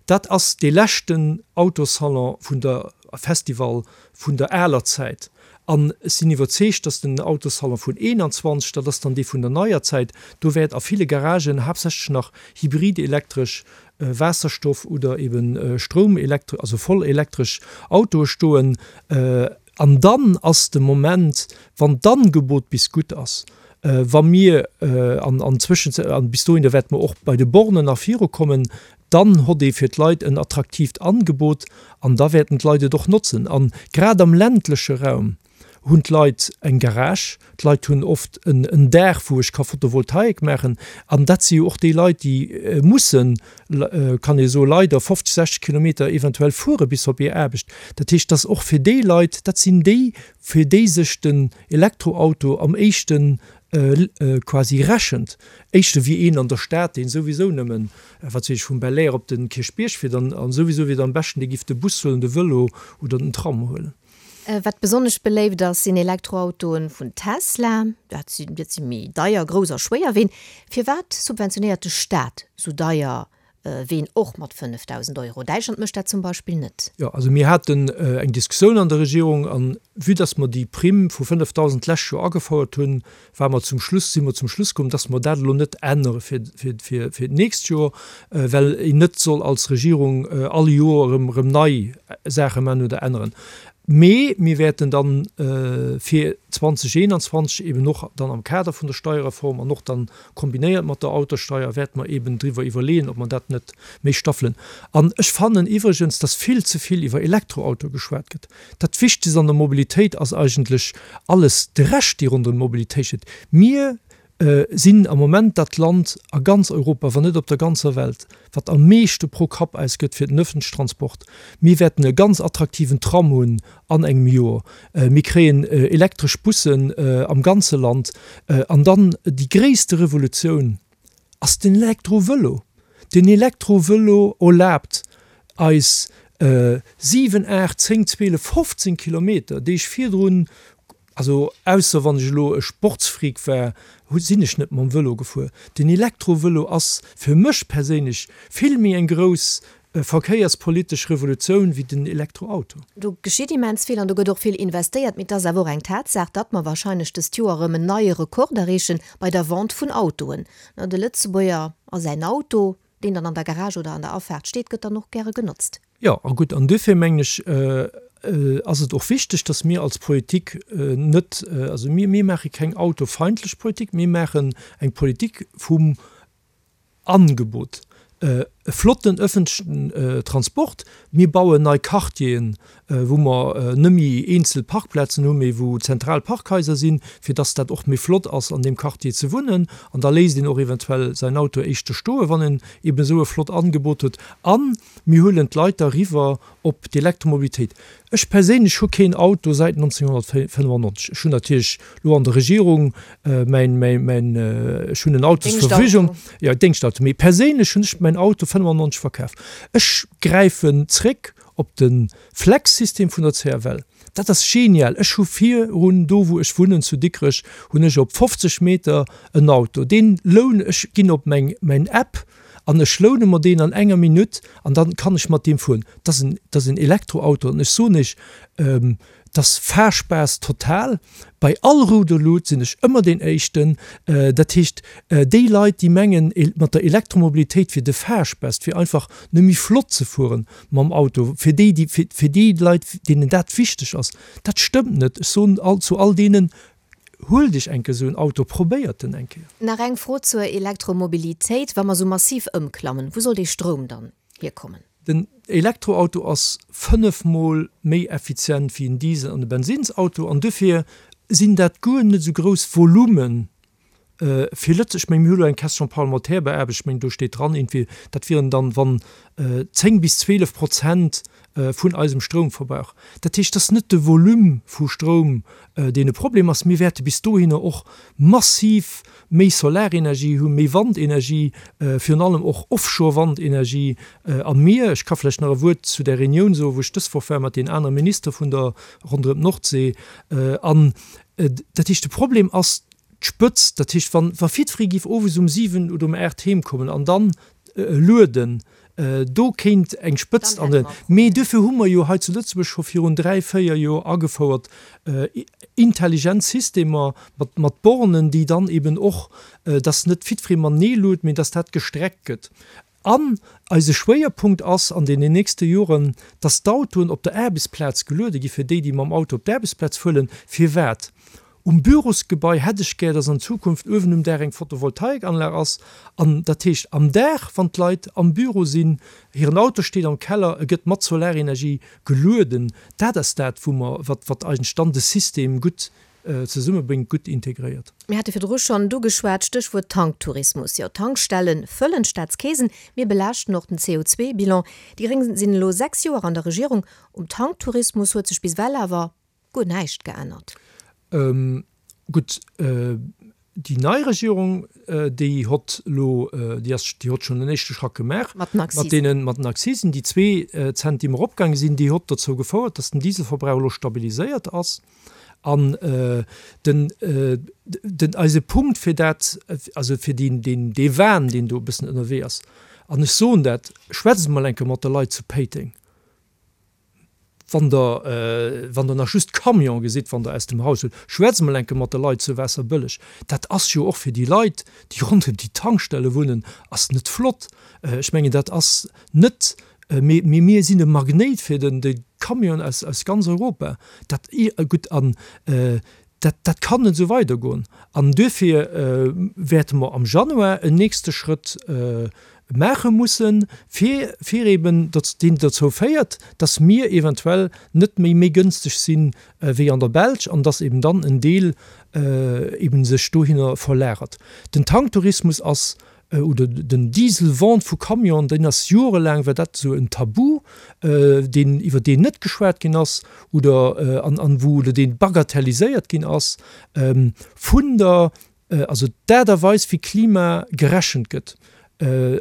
dat ass dee leschten Autosalon vun der, Festival vun der aler Zäit. An ech sinn iwwerzeegt, dass den Autossalon vun 21, dat ass dann dee vun der neier Zäit, do wäert a ville Garagen haaptsächlech nach hybrid-elektresch, Waasserstoff oder eben Stroum-elektresch, also voll elektresch Autoe stoen. An dann ass de Moment, wann d'Angebot bis gutt ass, wa mir an an Zwëschenzäit, an bis dohinner wäerte mer och bei de Bornen nach virukommen, dann hott ee fir d'Leit en attraktiivt Angebot an da wäerten d'Leit et och notzen. A grad am ländleche Raum hunn d'Leit eng Garage, d'Leit hunn oft en Daach, wou ech ka Photovoltaik maachen. An dat si jo och déi Leit, déi mussen, kann ee soen, leider 50, 60 Kilometer eventuell fuere bis op hir Aarbecht. Dat heescht, dass och fir déi Leit, dat sinn déi, fir déi sech den Elektroauto am éischten quasi rechent, éischter wéi een an der Stad, deen souwisou nëmmen, wat weess ech, vum Belair op de Kierchbierg fiert an souwisou wier et am beschten, dee giff de Bus huelen, de Vëlo oder den Tram huelen. Wat besonnesch beléift ass, sinn Elektroautoen vun Tesla. Dat sinn dat si méi deier, grouss a schwéier Ween. Firwat subventionéiert de Staat sou deier Ween och mat 5.000 Euro? Däitschland mécht dat zum Beispill net. Jo, also mir haten eng Diskussioun an der Regierung an vue dass mer déi Primm vu 5.000 d'lescht Joer agefouert hunn, ware mer zum Schluss, si mer zum Schluss komm, dass mer dat elo net ännere fir, fir, fir, fir d'nächst Joer, well een net soll als Regierung all Joer erëm, erëm nei Saache maachen oder änneren. Mee mir wäerten dann fir 2021 eben och dann am Kader vun der Steierreform an och dann kombinéiert mat der Autosteier, wäerte mer eben driwwer iwwerleeën, ob mer dat net méi staffelen. An ech fannen iwwregens, dass vill ze vill iwwer Elektroauto geschwat gëtt. Dat Wichtegst an der Mobilitéit ass eigentlech alles de Rescht, dee ronderëm d'Mobilitéit steet. Mir sinn am Moment dat Land a ganz Europa, wann net op der ganzer Welt, wat am meeschte pro Kapp ausgëtt fir den öffentlichen Transport. Mir wäerten e ganz attraktiven Tram hunn an engem Joer. Mir kréien elektresch Bussen am ganze Land. An dann déi gréisste Revolutioun ass den Elektrovëlo. Den Elektrovëlo erlaabt eis 7, 8, 10, 12, 15 Kilometer, déi ech virdrun, also ausser wann ech elo e Sportsfreak war, sinn ech net mam Vëlo gefuer. Den Elektrovëlo ass fir mech perséinlech vill méi eng grouss verkéierspolitesch Revolutioun wéi den Elektroauto. Do geschitt immens vill an do gëtt och vill investéiert. Mee et ass awer och eng Tatsaach, datt mer wahrscheinlech dëst Joer erëm en neie Rekord erreeche bei der Vente vun Autoen. De Lëtzebuerger a säin Auto, deen dann an der Garage oder an der Afaart steet, gëtt dann och gäre genotzt. Jo, a gutt, an duerfir mengen ech, ass et och wichteg, datt mir als Politik net, also mir, mir maache keng autofeindlech Politik, mir maachen eng Politik vum Angebot, e flotten ëffentlechen Transport. Mir bauen nei Quartieren, wou mer net méi eenzel Parkplazen hunn, mee wou zentral Parkhaiser sinn, fir dass dat och méi flott ass, an deem Quartier ze wunnen. An da léisst een och eventuell säin Auto éischter stoen, wann en eben esou e flott Angebot huet. A mir huelen d'Leit da riwwer op d'Elektromobilitéit. Ech perséinlech hu keen Auto säit 1995. Ech hunn natierlech lo an der Regierung mäin, mäin, mäin, ech hunn en Auto zur Verfügung, jo, Déngschtauto, mee perséinlech hunn ech mäin Auto 95 verkaf. Ech gräifen zréck op de Flex-System vun der CFL. Dat ass genial. Ech hu virun, do wou ech wunnen zu Dikrech, hunn ech op 50 Meter en Auto. Deen loun, ech ginn op meng, mäin App An ech loune mer deen an enger Minutt an dann kann ech mat deem fueren. Dat ass en, dat ass en Elektroauto an ech soen Iech, dat ass Fahrspaß total. Bei all rouder Lut sinn ech ëmmer deen Éischten. Dat heescht, déi Leit, déi mengen, mat der Elektromobilitéit wier de Fahrspaß, et wier einfach nëmme méi flott ze fueren mam Auto, fir déi, déi, fir déi Leit, deenen dat wichteg ass, dat stëmmt net. Ech soen all, zu all deenen, Huelt Iech eng Kéier esou en Auto, probéiert en eng Kéier. Nach eng Fro zur Elektromobilitéit, Wa mer sou massiv ëmklammen, wou soll dee Stroum dann hierkommen? Den Elektroauto ass 5 mol méi effizient wéi en Diesel an e Bensinnsauto an dofir sinn dat guer net esou grouss Volumen fir Lëtze. Ech mengen, mir hu lo eng Question parlementaire beaarbecht, ech mengen do steet dran iergendwéi, dat wieren dann wann 10 bis 12 Prozent vun eisem Stroumverbrauch. Dat heescht, et ass net de Volume vu Stroum, deen e Problem ass. Mir wäerte bis dohinner och massiv méi Solarenergie hunn, méi Wandenergie, virun allem och Offshore-Wandenergie am Mier. Ech ka vläicht nach e Wuert zu där Reunioun soen, wou ech dës Woch war mat deenen anere Ministere vun der ronderëm d'Nordsee. An dat heescht, de Problem ass d'Spëtzt. Dat heescht, wa wa jiddweree géif owes um 7 oder um 8 heemkommen an dann lueden. Do kéint eng Spëtzt an den. Mee duerfir hu mer jo hei zu Lëtzebuerg scho virun 3, 4 Joer agefouert intelligent Systemer mat, mat Bornen, déi dann eben och, dass net jiddweree matenee luet, mee dass dat gestreckt gëtt. An eise Schwéierpunkt ass an deenen nächste Joren, dass d'Autoen op der Aarbechtsplaz geluede gi fir déi, déi mam Auto op d'Aarbechtsplaz fueren. Firwat? Um Bürosgebai hätt ech gär, dass an Zukunft uewen um Daach eng Photovoltaikanlag ass. An dat heescht am Dag, wann d'Leit am Büro sinn, hiren Auto steet am Keller, e gëtt mat Solarenergie gelueden. Dat ass dat, wou mer, wat, wat eigentlech dann de System gutt zesummebréngt, gutt integréiert. Mir hate virdru schonn do geschwat, Stéchwuert Tanktourismus. Jo, d'Tankstelle fëllen d'Staatskeesen, mir belaaschten och den CO2-Bilan. Déi Gréng sinn elo 6 Joer an der Regierung. Um Tanktourismus huet sech bis ewell awer guer näischt geännert. Gutt, déi nei Regierung, déi hott elo, déi ass, déi hott schonn en éischte Schrack gemaach Mat den mat Akzisen. deenen, mat den Akzisen, déi zwee Zentim eropgaange sinn, déi hott dozou gefouert, datt den Dieselverbrauch elo stabiliséiert ass. An den, den, eise Punkt fir dat, also fir deen, deen, dee Wahn, deen do e bëssen ënnerwee ass, an ech soen dat, schwätzt emol eng Kéier mat de Leit zu Péiteng, Wann Der, wann Der nach just Camione gesitt, wann Der aus dem Haus hutt, schwätzt emol eng Kéier mat de Leit zu Waasserbëlleg. Dat ass jo och fir déi Leit, déi ronderëm déi Tankstelle wunnen, ass net flott. Ech mengen, dat ass net, mee, mee mir sinn e Magnéit fir den, de Camion aus, aus ganz Europa. Dat, gutt, an dat, dat kann net esou weidergoen. An duerfir wäerte mer am Januar en nächste Schrëtt maache mussen, fir, fir eben, datt deen dozou féiert, datt mir eventuell net méi méi gënsteg si wéi an der Belsch an datt eben dann en Deel eben sech dohinner verlagert. Den Tanktourismus ass oder den Diesel-Vente vu Camionen, deen ass jorelaang war dat esou en Tabu, deen, iwwer deen net geschwat ginn ass oder an, an wou, oder dee bagatelliséiert ginn ass vun der, also d'Aart a Weis wéi Klima gerechent gëtt,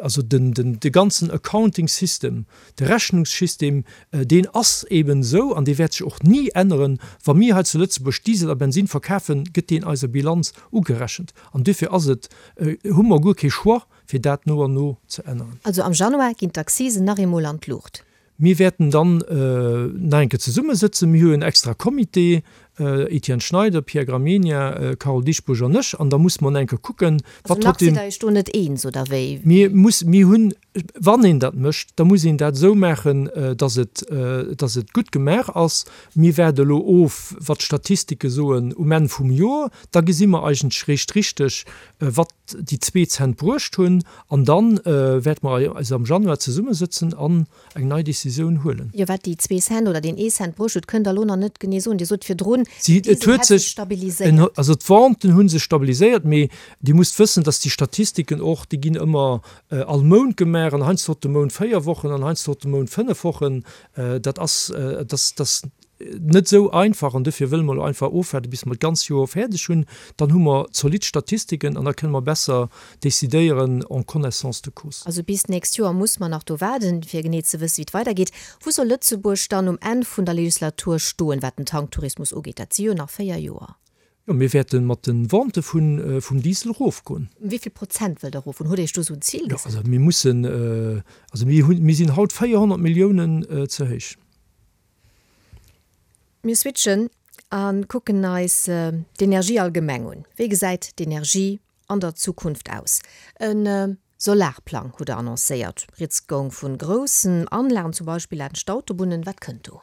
also den, den, de ganzen Accounting System, de Rechnungssystem, deen ass eben esou an dee wäert sech och ni änneren. Wa mir hei zu Lëtzebuerg Diesel a Bensin verkafen, gëtt deen eiser Bilanz ugerechent an duerfir ass et, hu mer guer kee Choix, fir dat no an no ze änneren. Also am Januar ginn d'Accisen nach eemol an d'Luucht. Mir wäerten dann nach eng Kéier zesummesëtzen. Mir hu jo en extra Comité, Etienne Schneider, Pierre Gramegna, Carole Dieschbourg an ech, an da musse mer nach eng Kéier kucken, Also wat nach sidd Der Iech do net eens, oder wéi? Mir muss, mir hunn, wann een dat mécht, da muss een dat esou maachen, dass et, dass et gutt gemaach ass. Mir waarde elo of, wat d'Statistike soen um Enn vum Joer. Da gesi mer eigentlech réischt richteg, wat déi zwee Cent bruecht hunn. An da wäerte mer eis am Januar zesummesëtzen an eng nei Décisioun huelen. Jo, wat déi zwee Cent oder deen ee Cent bruecht huet, kënnt Der elo nach net genee soen. Dir sot virdrun, den Diesel hätt sech stabiliséiert. Also d'Venten hu sech stabiliséiert, mee Dir musst wëssen, dass déi Statistiken och, déi ginn ëmmer all Mount gemaach an heiansdo huet de Mount véier Wochen an heiansdo huet de Mount fënnef Wochen. Dat ass, dat ass net esou einfach an dofir wëlle mer elo einfach ofwaarden, bis mer d'ganz Joer fäerdeg hunn. Dann hu mer zolidd Statistiken an da kënne mer besser decidéieren en connaissance de cause. Also bis d'nächst Joer muss mer nach do waarden, fir genee ze wëssen, wéi et weidergeet. Wou soll Lëtzebuerg dann um Enn vun der Legislatur stoen, wat den Tanktourismus ugeet? Dat si jo nach 4 Joer. Jo, mir wäerte mat de Vente vum Diesel erofgoen. Ëm wéi vill Prozent wëllt Der erofgoen? Hutt Der Iech do esou en Zil gesat? Jo, also mir mussen, also mir hunn, mir sinn haut 400 Milliounen ze héich. Mir switchen a kucken eis d'Energie allgemeng un. Wéi gesäit d'Energie an der Zukunft aus? E Solarplang hutt Der annoncéiert. Rieds goung vu groussen Anlagen, zum Beispill laanscht d'Autobunnen. Wat kënnt do?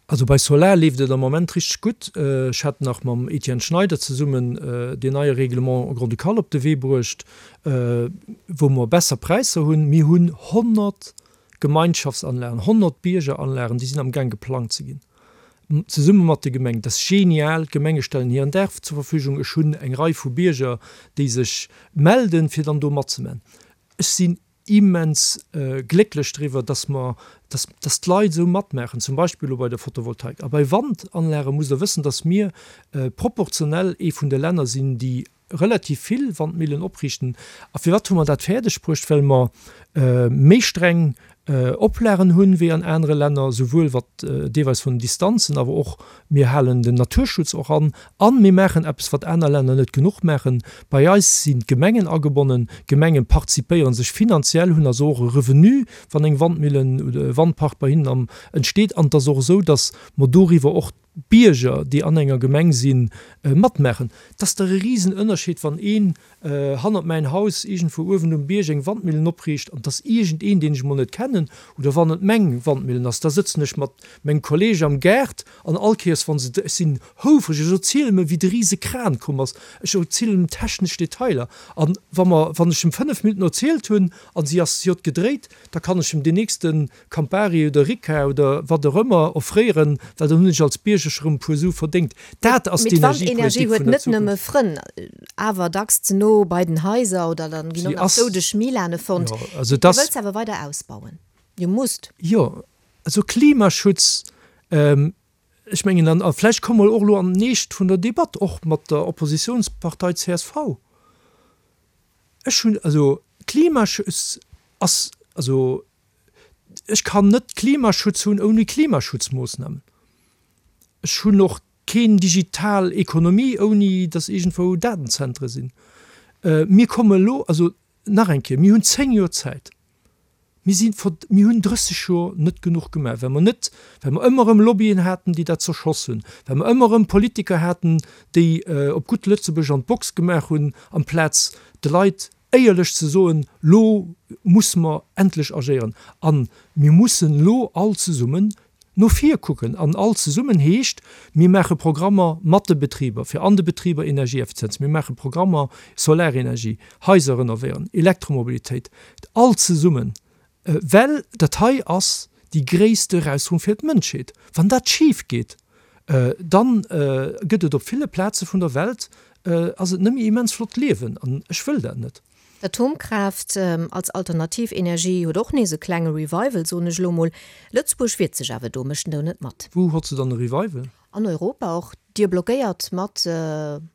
Also bei Solar leeft et am Moment richteg gutt. Ech hat nach mam Etienne Schneider zesummen deen neie Règlement grand-ducal op de Wee bruecht, wou mer besser Präisser hunn. Mir hunn 100 Gemeinschaftsanlagen, 100 Biergeranlagen, déi sinn am Gaang geplangt ze ginn, zesumme mat de Gemengen. Dat ass genial. D'Gemenge stellen hiren Daach zur Verfügung. Ech hunn eng Rei vu Bierger, déi sech melden, fir dann do matzeman. Ech sinn immens glécklech driwwer, dass mer, dass, dass d'Leit esou matmaachen, zum Beispill elo bei der Photovoltaik. A bei Wandanlage musst Der wëssen, dass mir proportionell ee vun de Länner sinn, déi. relativ vill Wandmillen opriichten. A firwat hu mer dat fäerdeg bruecht? Well mer méi streng Oplagen hunn wéi an anere Länner, souwuel wat deelweis vun den Distanzen, awer och mir halen den Naturschutz och an a mir maachen eppes, wat aner Länner net genuch maachen, Bei eis sinn d'Gemengen agebonnen, d'Gemenge participéiere sech finanziell, hunn also och e Revenu, wann eng Wandmillen oder e Wandpark bei hinnen am entsteet. An et ass och esou, datt mer doriwwer och d'Bierger, déi an enger Gemeng sinn, matmaachen. Et ass dach e Risenënnerscheed, wann een hannert mäin Haus iergendwou uewen um Bierg eng Wandmillen opriicht an et ass iergendeen, deen ech emol net kennen, oder wann et meng Wandmillen ass, da sëtzen ech mat mengem Kolleeg am Gaart an all Kéiers, wa se, ech sinn houfreg, ech erzielen em, wéi de rise Kran komm ass, ech erzielen em technesch Detailer an wa mer, wann ech em 5 Minutten erzielt hunn an si ass, si huet gedréit, da kann ech em deen nächste Campari oder Ricard oder wat och ëmmer offréieren, well dann hunn ech als Bierger scho rëm e puer Su verdéngt. Dat ass Mee d'Wandenergie d'Energiepolitik huet vun der net nëmme Zukunft. Frënn, awer dacks ze no bei den Haiser oder dann ginn och Si nach ass, doudeg Milane fonnt. jo, also Dir dass. wëllt se awer weider ausbauen. Dir musst. Jo, also Klimaschutz, ech mengen, an a vläicht komme mer och elo an den Eescht vun der Debatt, och mat der Oppositionspartei csv, ech hunn, also Klimaschutz ass, also Ech kann net Klimaschutz hunn ouni Klimaschutzmoossnamen. Ech hunn och keen digital Ekonomie ouni datt iergendwou Datenzentre sinn. Mir komme elo, also nach eng Kéier, mir hunn 10 Joer Zäit. Mir si mir hunn 30 Joer net genuch gemaach, well mer net, well mer ëmmer erëm Lobbyen haten, déi dat zerschoss hunn, well mer ëmmer erëm Politiker haten, déi op gutt Lëtzebuerg an d'Box gemaach hunn, amplaz de Leit éierlech ze soen, Lo musse mer endlech agéieren a mir mussen elo all zesummen no vir kucken. An all zesummen heescht, mir maache Programmer mat de Betriber, fir an de Betriber Energieeffizienz, mir maache Programmer Solarenergie, Haiser renovéieren, Elektromobilitéit, all zesummen, Well dat hei ass déi gréisste Erausfuerung fir d'Mënschheet. Wann dat schif geet, dann gëtt et op ville Plaze vun der Welt ass et net méi immens flott liewen. An ech wëll dat net. D'Atomkraaft als alternativ Energie huet och nees e klenge Revival, soen ech elo mol. Lëtzebuerg wiert sech awer do, mécht en do net mat. Wou hott se dann e Revival? An Europa och. Dir blockéiert mat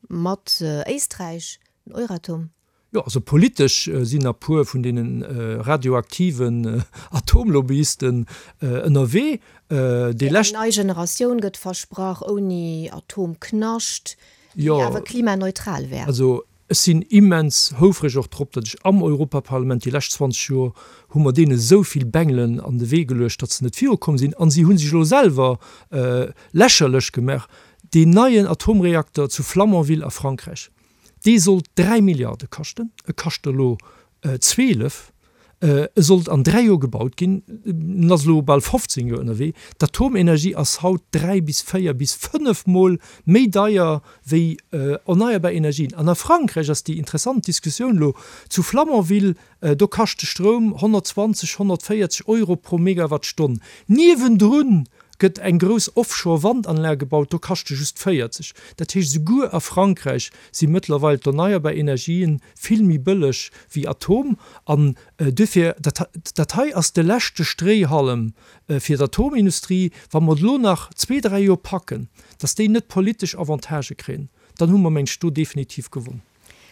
mat Éisträich den Euratom. Jo, also politesch sinn a puer vun deene radioaktiven Atomlobbyisten ënnerwee. Déi lescht. Eng nei Generatioun gëtt versprach, ouni Atomknascht, déi awer klimaneutral wär. Also ech sinn immens houfreg och drop, datt ech am Europaparlament déi lescht 20 Joer hu mer deene esou vill Bengelen an de Wee geluecht, datt se net virukomm sinn. A si hu sech elo selwer lächerlech gemaach. Deen neien Atomreakter zu Flamanville a Frankräich, Dee sollt 3 Milliarde kaschten, e kascht der elo 12. E sollt an 3 Joer gebaut ginn, en ass elo bal 15 Joer ënnerwee. D'Atomenergie ass haut 3 bis 4 bis 5 Mol méi deier wéi erneierbar Energien. An a Frankräich ass déi interessant Diskussioun elo zu Flamanville, do kascht de Stroum 120, 140 Euro pro Megawattstonn. Niewendrun gëtt eng grouss Offshore-Wandanlag gebaut, do kascht e just 40. Dat heescht, esouguer a Frankräich si mëttlerweil d'erneierbar Energien vill méi bëlleg wéi Atom. An duerfir, dat, dat hei ass de leschte Stréihallem fir d'Atomindustrie. Wa mer et elo nach zwee, dräi Joer packen, datt déi net politesch Avantagë kréien, dann hu mer, meng ech, do definitiv gewonn.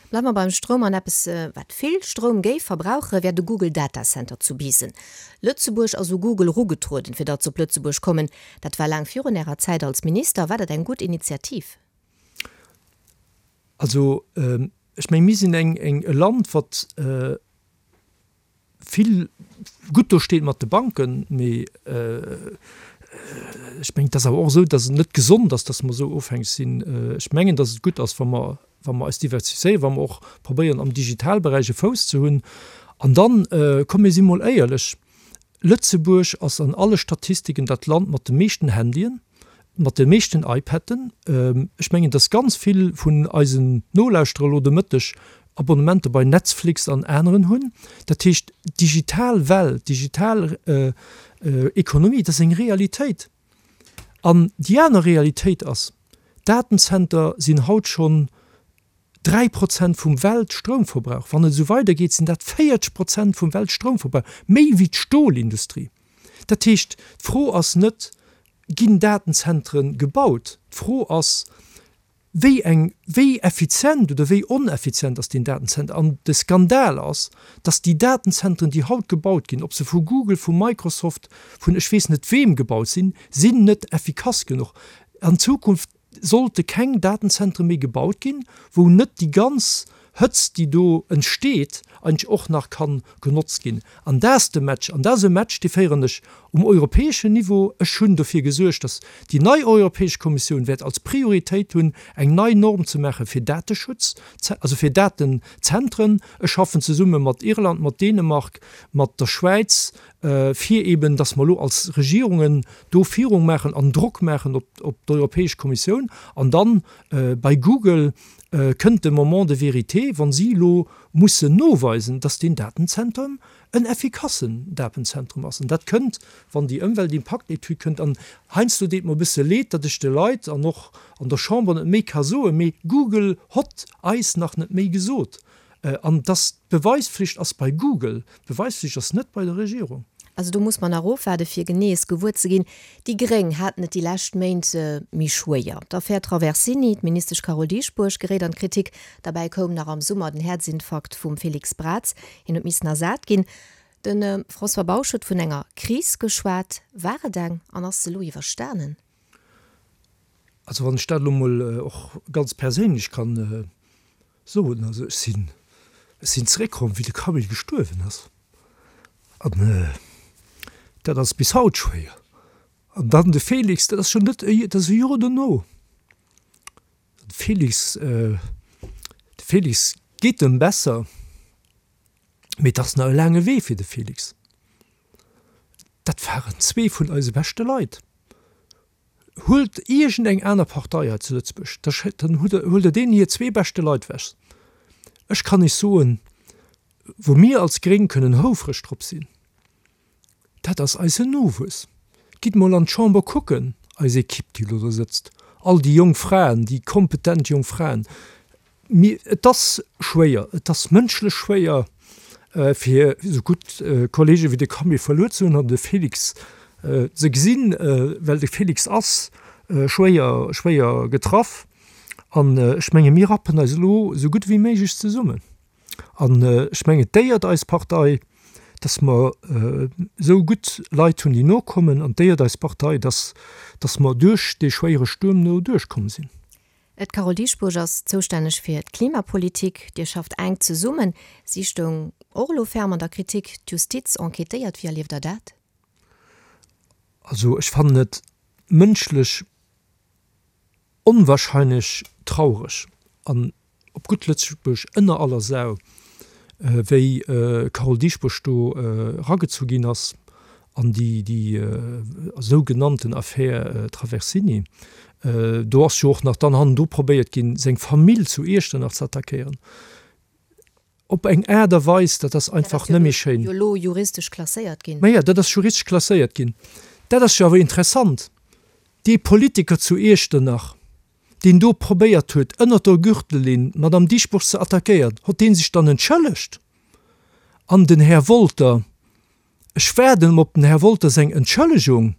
Bleiwe mer beim Stroum an eppes wat vill Stroum géif verbrauche wär de Google Data Center zu Biissen. Lëtzebuerg ass u Google erugetrueden fir datt se op Lëtzebuerg kommen. Dat war laang virun Ärer Zäit als Minister. War dat eng gutt Initiativ? Also ech meng mir sinn eng e Land wat vill gutt do steet mat de Banken, mee ech mengen, et ass awer och esou, datt et net gesond ass, datt mer esou ofhängeg sinn. Ech mengen, datt et gutt ass, wa mer, wa mer eis diversifizéieren, wa mer och probéieren, am Digitalberäich e Fouss ze hunn. An dann, komm mir si mol éierlech, Lëtzebuerg ass an alle Statistiken dat Land mat de meeschten Handyen, mat de meeschten iPaden. Ech mengen, dass ganz vill vun eisen Nolauschterer elo de Mëtteg Abonnementer bei Netzflix an aneren hunn. Dat heescht, d'digital Welt, d'digital Ekonomie, dat ass eng Realitéit. An déi aner Realitéit ass, Datenzenter sinn haut schonn 3 Prozent vum Weltstroumverbrauch. Wann et esou weidergeet, sinn dat 40 Prozent vum Weltstroumverbrauch, méi wéi d'Stolindustrie. Dat heescht, d'Fro ass net, Ginn Datenzentre gebaut? D'Fro ass, Wéi eng, wéi effizient oder wéi oneffizient ass deen Datenzenter? An de Skandal ass, dass déi Datenzentren, déi haut gebaut ginn, ob se vu Google, vu Microsoft, vun ech weess net weem gebaut sinn, sinn net effikass genuch. An Zukunft sollte keng Datenzentre méi gebaut ginn, wou net déi ganz Hëtzt, déi do entsteet, eigentlech och nach ka genotzt ginn. An dat ass de Match. An dat ass e Match, dee féieren ech um europäeschen Niveau. Ech hunn dofir gesuergt, datt déi nei Europäesch Kommissioun wäert als Prioritéit hunn, eng nei Norm ze maache fir Dateschutz, also fir Datenzentren. Ech schaffen zesumme mat Irland, mat Dänemark, mat der Schwäiz, fir eben, datt mer elo als Regierungen do Virung maachen an Drock maachen op d'Europäesch Kommissioun. An dann bei Google kënnt de Moment de vérité, wa si elo mussen noweisen, datt deen Datenzentrum en effikassen Datenzentrum ass. An dat kënnt, wann déi Ëmweltimpaktetüd kënnt. An heiansdo deet mer e bësse leed, datt ech de Leit an och an der Chamber net méi ka soen, mee Google hott eis nach net méi gesot. An dass d'Beweispflicht ass bei Google, d'Beweispflicht ass net bei der Regierung. Also do muss mer nach ofwaarde fir genees gewuer ze ginn. Déi Gréng haten et déi lescht Méint méi schwéier. D'Affär Traversini, d'Ministesch Carole Dieschbourg geréit an d'Kritik. Derbäi koum nach am Summer den Häerzinfarkt vum Félix Braz. Hien huet missen ersat ginn. De François Bausch huet vun enger Kris geschwat. War et eng an ass se elo iwwerstanen? Also wann ech dat elo mol och ganz perséinlech kann soen, also ech sinn, ech sinn zeréckkomm wéi de Camille gestuerwen ass an dat ass bis haut schwéier. An dann de Félix, dat ass schonn net, dat ass e Joer dono. De Félix, de Félix geet em besser, mee et ass nach e laange Wee fir de Félix. Dat waren zwee vun eise beschte Leit. Huelt iergend eng aner Partei hei zu Lëtzebuerg, da dann huelt Der deenen hir zwee beschte Leit wech. Ech kann Iech soen, wou mir als Gréng kënnen houfreg drop sinn, dat ass eisen Nowuess. Gitt mol an d'Chamber kucken, eis Equipe, déi elo do sëtzt, all déi jonk Fraen, déi kompetent jonk Fraen, Mee et ass schwéier, et ass mënschlech schwéier, fir esou gutt Kollege wéi de Camille verluer ze hunn an de Félix ze gesinn, well de Félix ass schwéier, schwéier getraff. An ech menge mir rappen eis elo esou gutt wéi méiglech zesummen. An ech mengen, et déiert eis Partei, datt mer esou gutt Leit hunn, déi nokommen, an et déiert eis Partei, datt, datt mer duerch dee schwéiere Stuerm do duerchkomm sinn. D'Carole Dieschbourg ass zoustänneg fir d'Klimapolitik. Dir schafft enk zesummen. Si stoung och elo ferm an der Kritik. D'Justiz enquêtéiert. Wéi erlieft Der dat? Also ech fannen et mënschlech onwahrscheinlech traureg an op gutt Lëtzebuerg ënner aller Sau, wéi d'Carole Dieschbourg do eragezu ginn ass an déi sougenannten Affär Traversini. Do ass jo och nach dann hannendru probéiert ginn, seng Famill zu Iechternach ze attackéieren. Op eng Aart a Weis, dat ass einfach net méi schéin. Dat ass jo elo juristesch klasséiert ginn. Maja, dat ass juristesch klasséiert ginn. Dat ass jo awer interessant. Dee Politiker zu Iechternach, deen do probéiert huet, ënnert der Gürtellinn d'Madame Dieschbourg ze attackéieren, hott dee sech dann entschëllegt? An den Här Wolter, ech waarden op den Här Wolter seng Entschëllegung,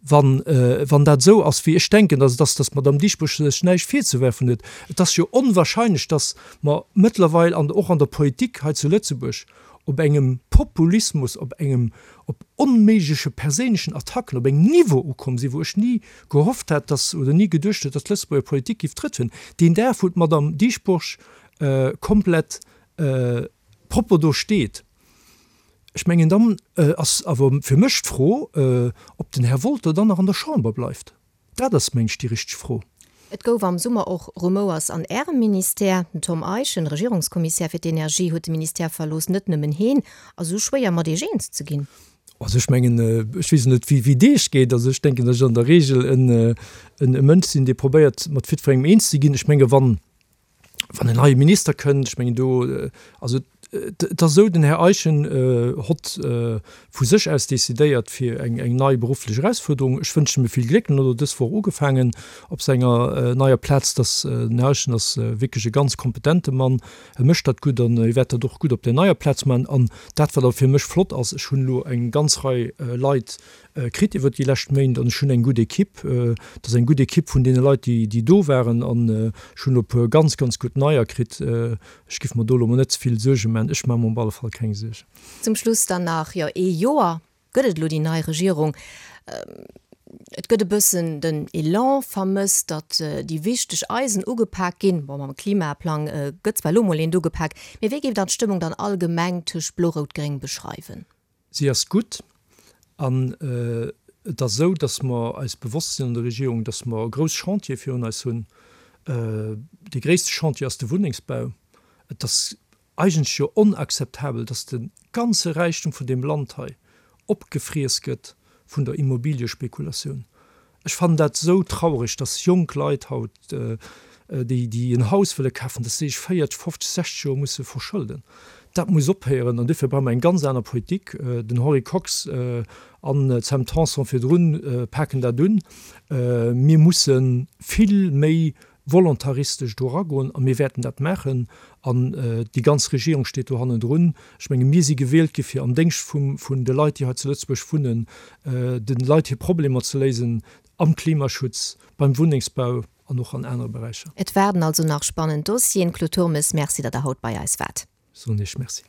wann, wann dat esou ass, wéi ech denken, datt et ass, datt d'Madame Dieschbourg sech näischt virzewerfen huet. Et ass jo onwahrscheinlech, datt mer mëttlerweil an, och an der Politik hei zu Lëtzebuerg op engem Populismus, op engem, op onméigleche perséinlechen Attacken, op engem Niveau ukomm sinn, wou ech ni gehofft hat, dass, oder ni geduecht huet, dass d'Lëtzebuerger Politik géif Trëtt hunn. Deen Dag, wou d'Madame Dieschbourg komplett propper do steet, ech mengen, dann ass awer fir mech d'Fro, ob den Här Wolter dann nach an der Chamber bleift. Dat ass, meng ech, déi richteg Fro. Et gouf am Summer och Rumouers an Ärem Ministère. Den Tom Eischen, Regierungskommissär fir d'Energie, huet de Ministère verlooss. Net nëmmen heen. Ass esou schwéier, mat Iech eens ze ginn? Also ech mengen, ech weess net, wéi et Iech geet. Also ech denken, datt ech an der Regel e Mënsch sinn, dee probéiert, mat jiddwerengem eens ze ginn. Ech menge wann, wann en neie Minister kënnt, ech mengen do, also. Et ass esou, den Här Eischen hott vu sech aus decidéiert fir eng eng nei berufflech Erausfuerderung. Ech wënschen em vill Gléck. En huet elo dës Woch ugefaangen op senger neier Plaz. Dass den Här Eischen ass wierklech e ganz kompetente Mann. E mécht dat gutt an e wäert dat och gutt op där neier Plaz maachen. An dat wat awer fir mech flott ass, ech hunn elo eng ganz Rei Leit kritt iwwert déi lescht Méint an ech hunn eng gutt Equipe. Et ass eng gutt Equipe vun deene Leit, déi déi do waren an ech hunn elo e puer ganz, ganz gutt neier kritt. Ech giff mer do elo mol net ze vill Suerge maachen. Ech maache mer op alle Fall keng Suergen. Zum Schluss dann nach, jo, ee Joer gëtt et elo déi nei Regierung. Et gëtt e bëssen den Elan vermësst, datt déi wichteg Eisen ugepak ginn. Bon, mam Klimaplang gëtt zwar elo mol eent ugepak, mee wéi géif Der d'Stëmmung dann allgemeng tëscht Blo-Rout-Gréng beschreiwen? Si ass gutt an et ass esou, datt mer eis bewosst sinn an der Regierung, datt mer e grouss Chantier virun eis hunn. Dee gréisste Chantier ass de Wunnengsbau. Et ass eigentlech jo onakzeptabel, datt de ganze Räichtum vun deem Land hei opgefriess gëtt vun der Immobiliëspekulatioun. Ech fannen dat esou traureg, datt jonk Leit haut, déi, déi en Haus wëlle kafen, datt si sech 40, 50, 60 Joer musse verschëlden. Dat muss ophéieren an duerfir brauche mer eng ganz aner Politik. Den Henri Kox an d'Sam Tanson virdrun paken dat un. Mir musse vill méi volontaristesch do eragoen a mir wäerten dat maachen an déi ganz Regierung steet do hannendrun. Ech menge mir si gewielt gi fir am Déngscht vum vun de Leit, déi hei zu Lëtzebuerg wunnen, de Leit hir Problemer ze léisen am Klimaschutz, beim Wunnengsbau an och an anere Beräicher. Et waarden also nach spannend Dossieren. Claude Turmes, Merci, datt Der haut bei eis waart. Soen Iech Merci.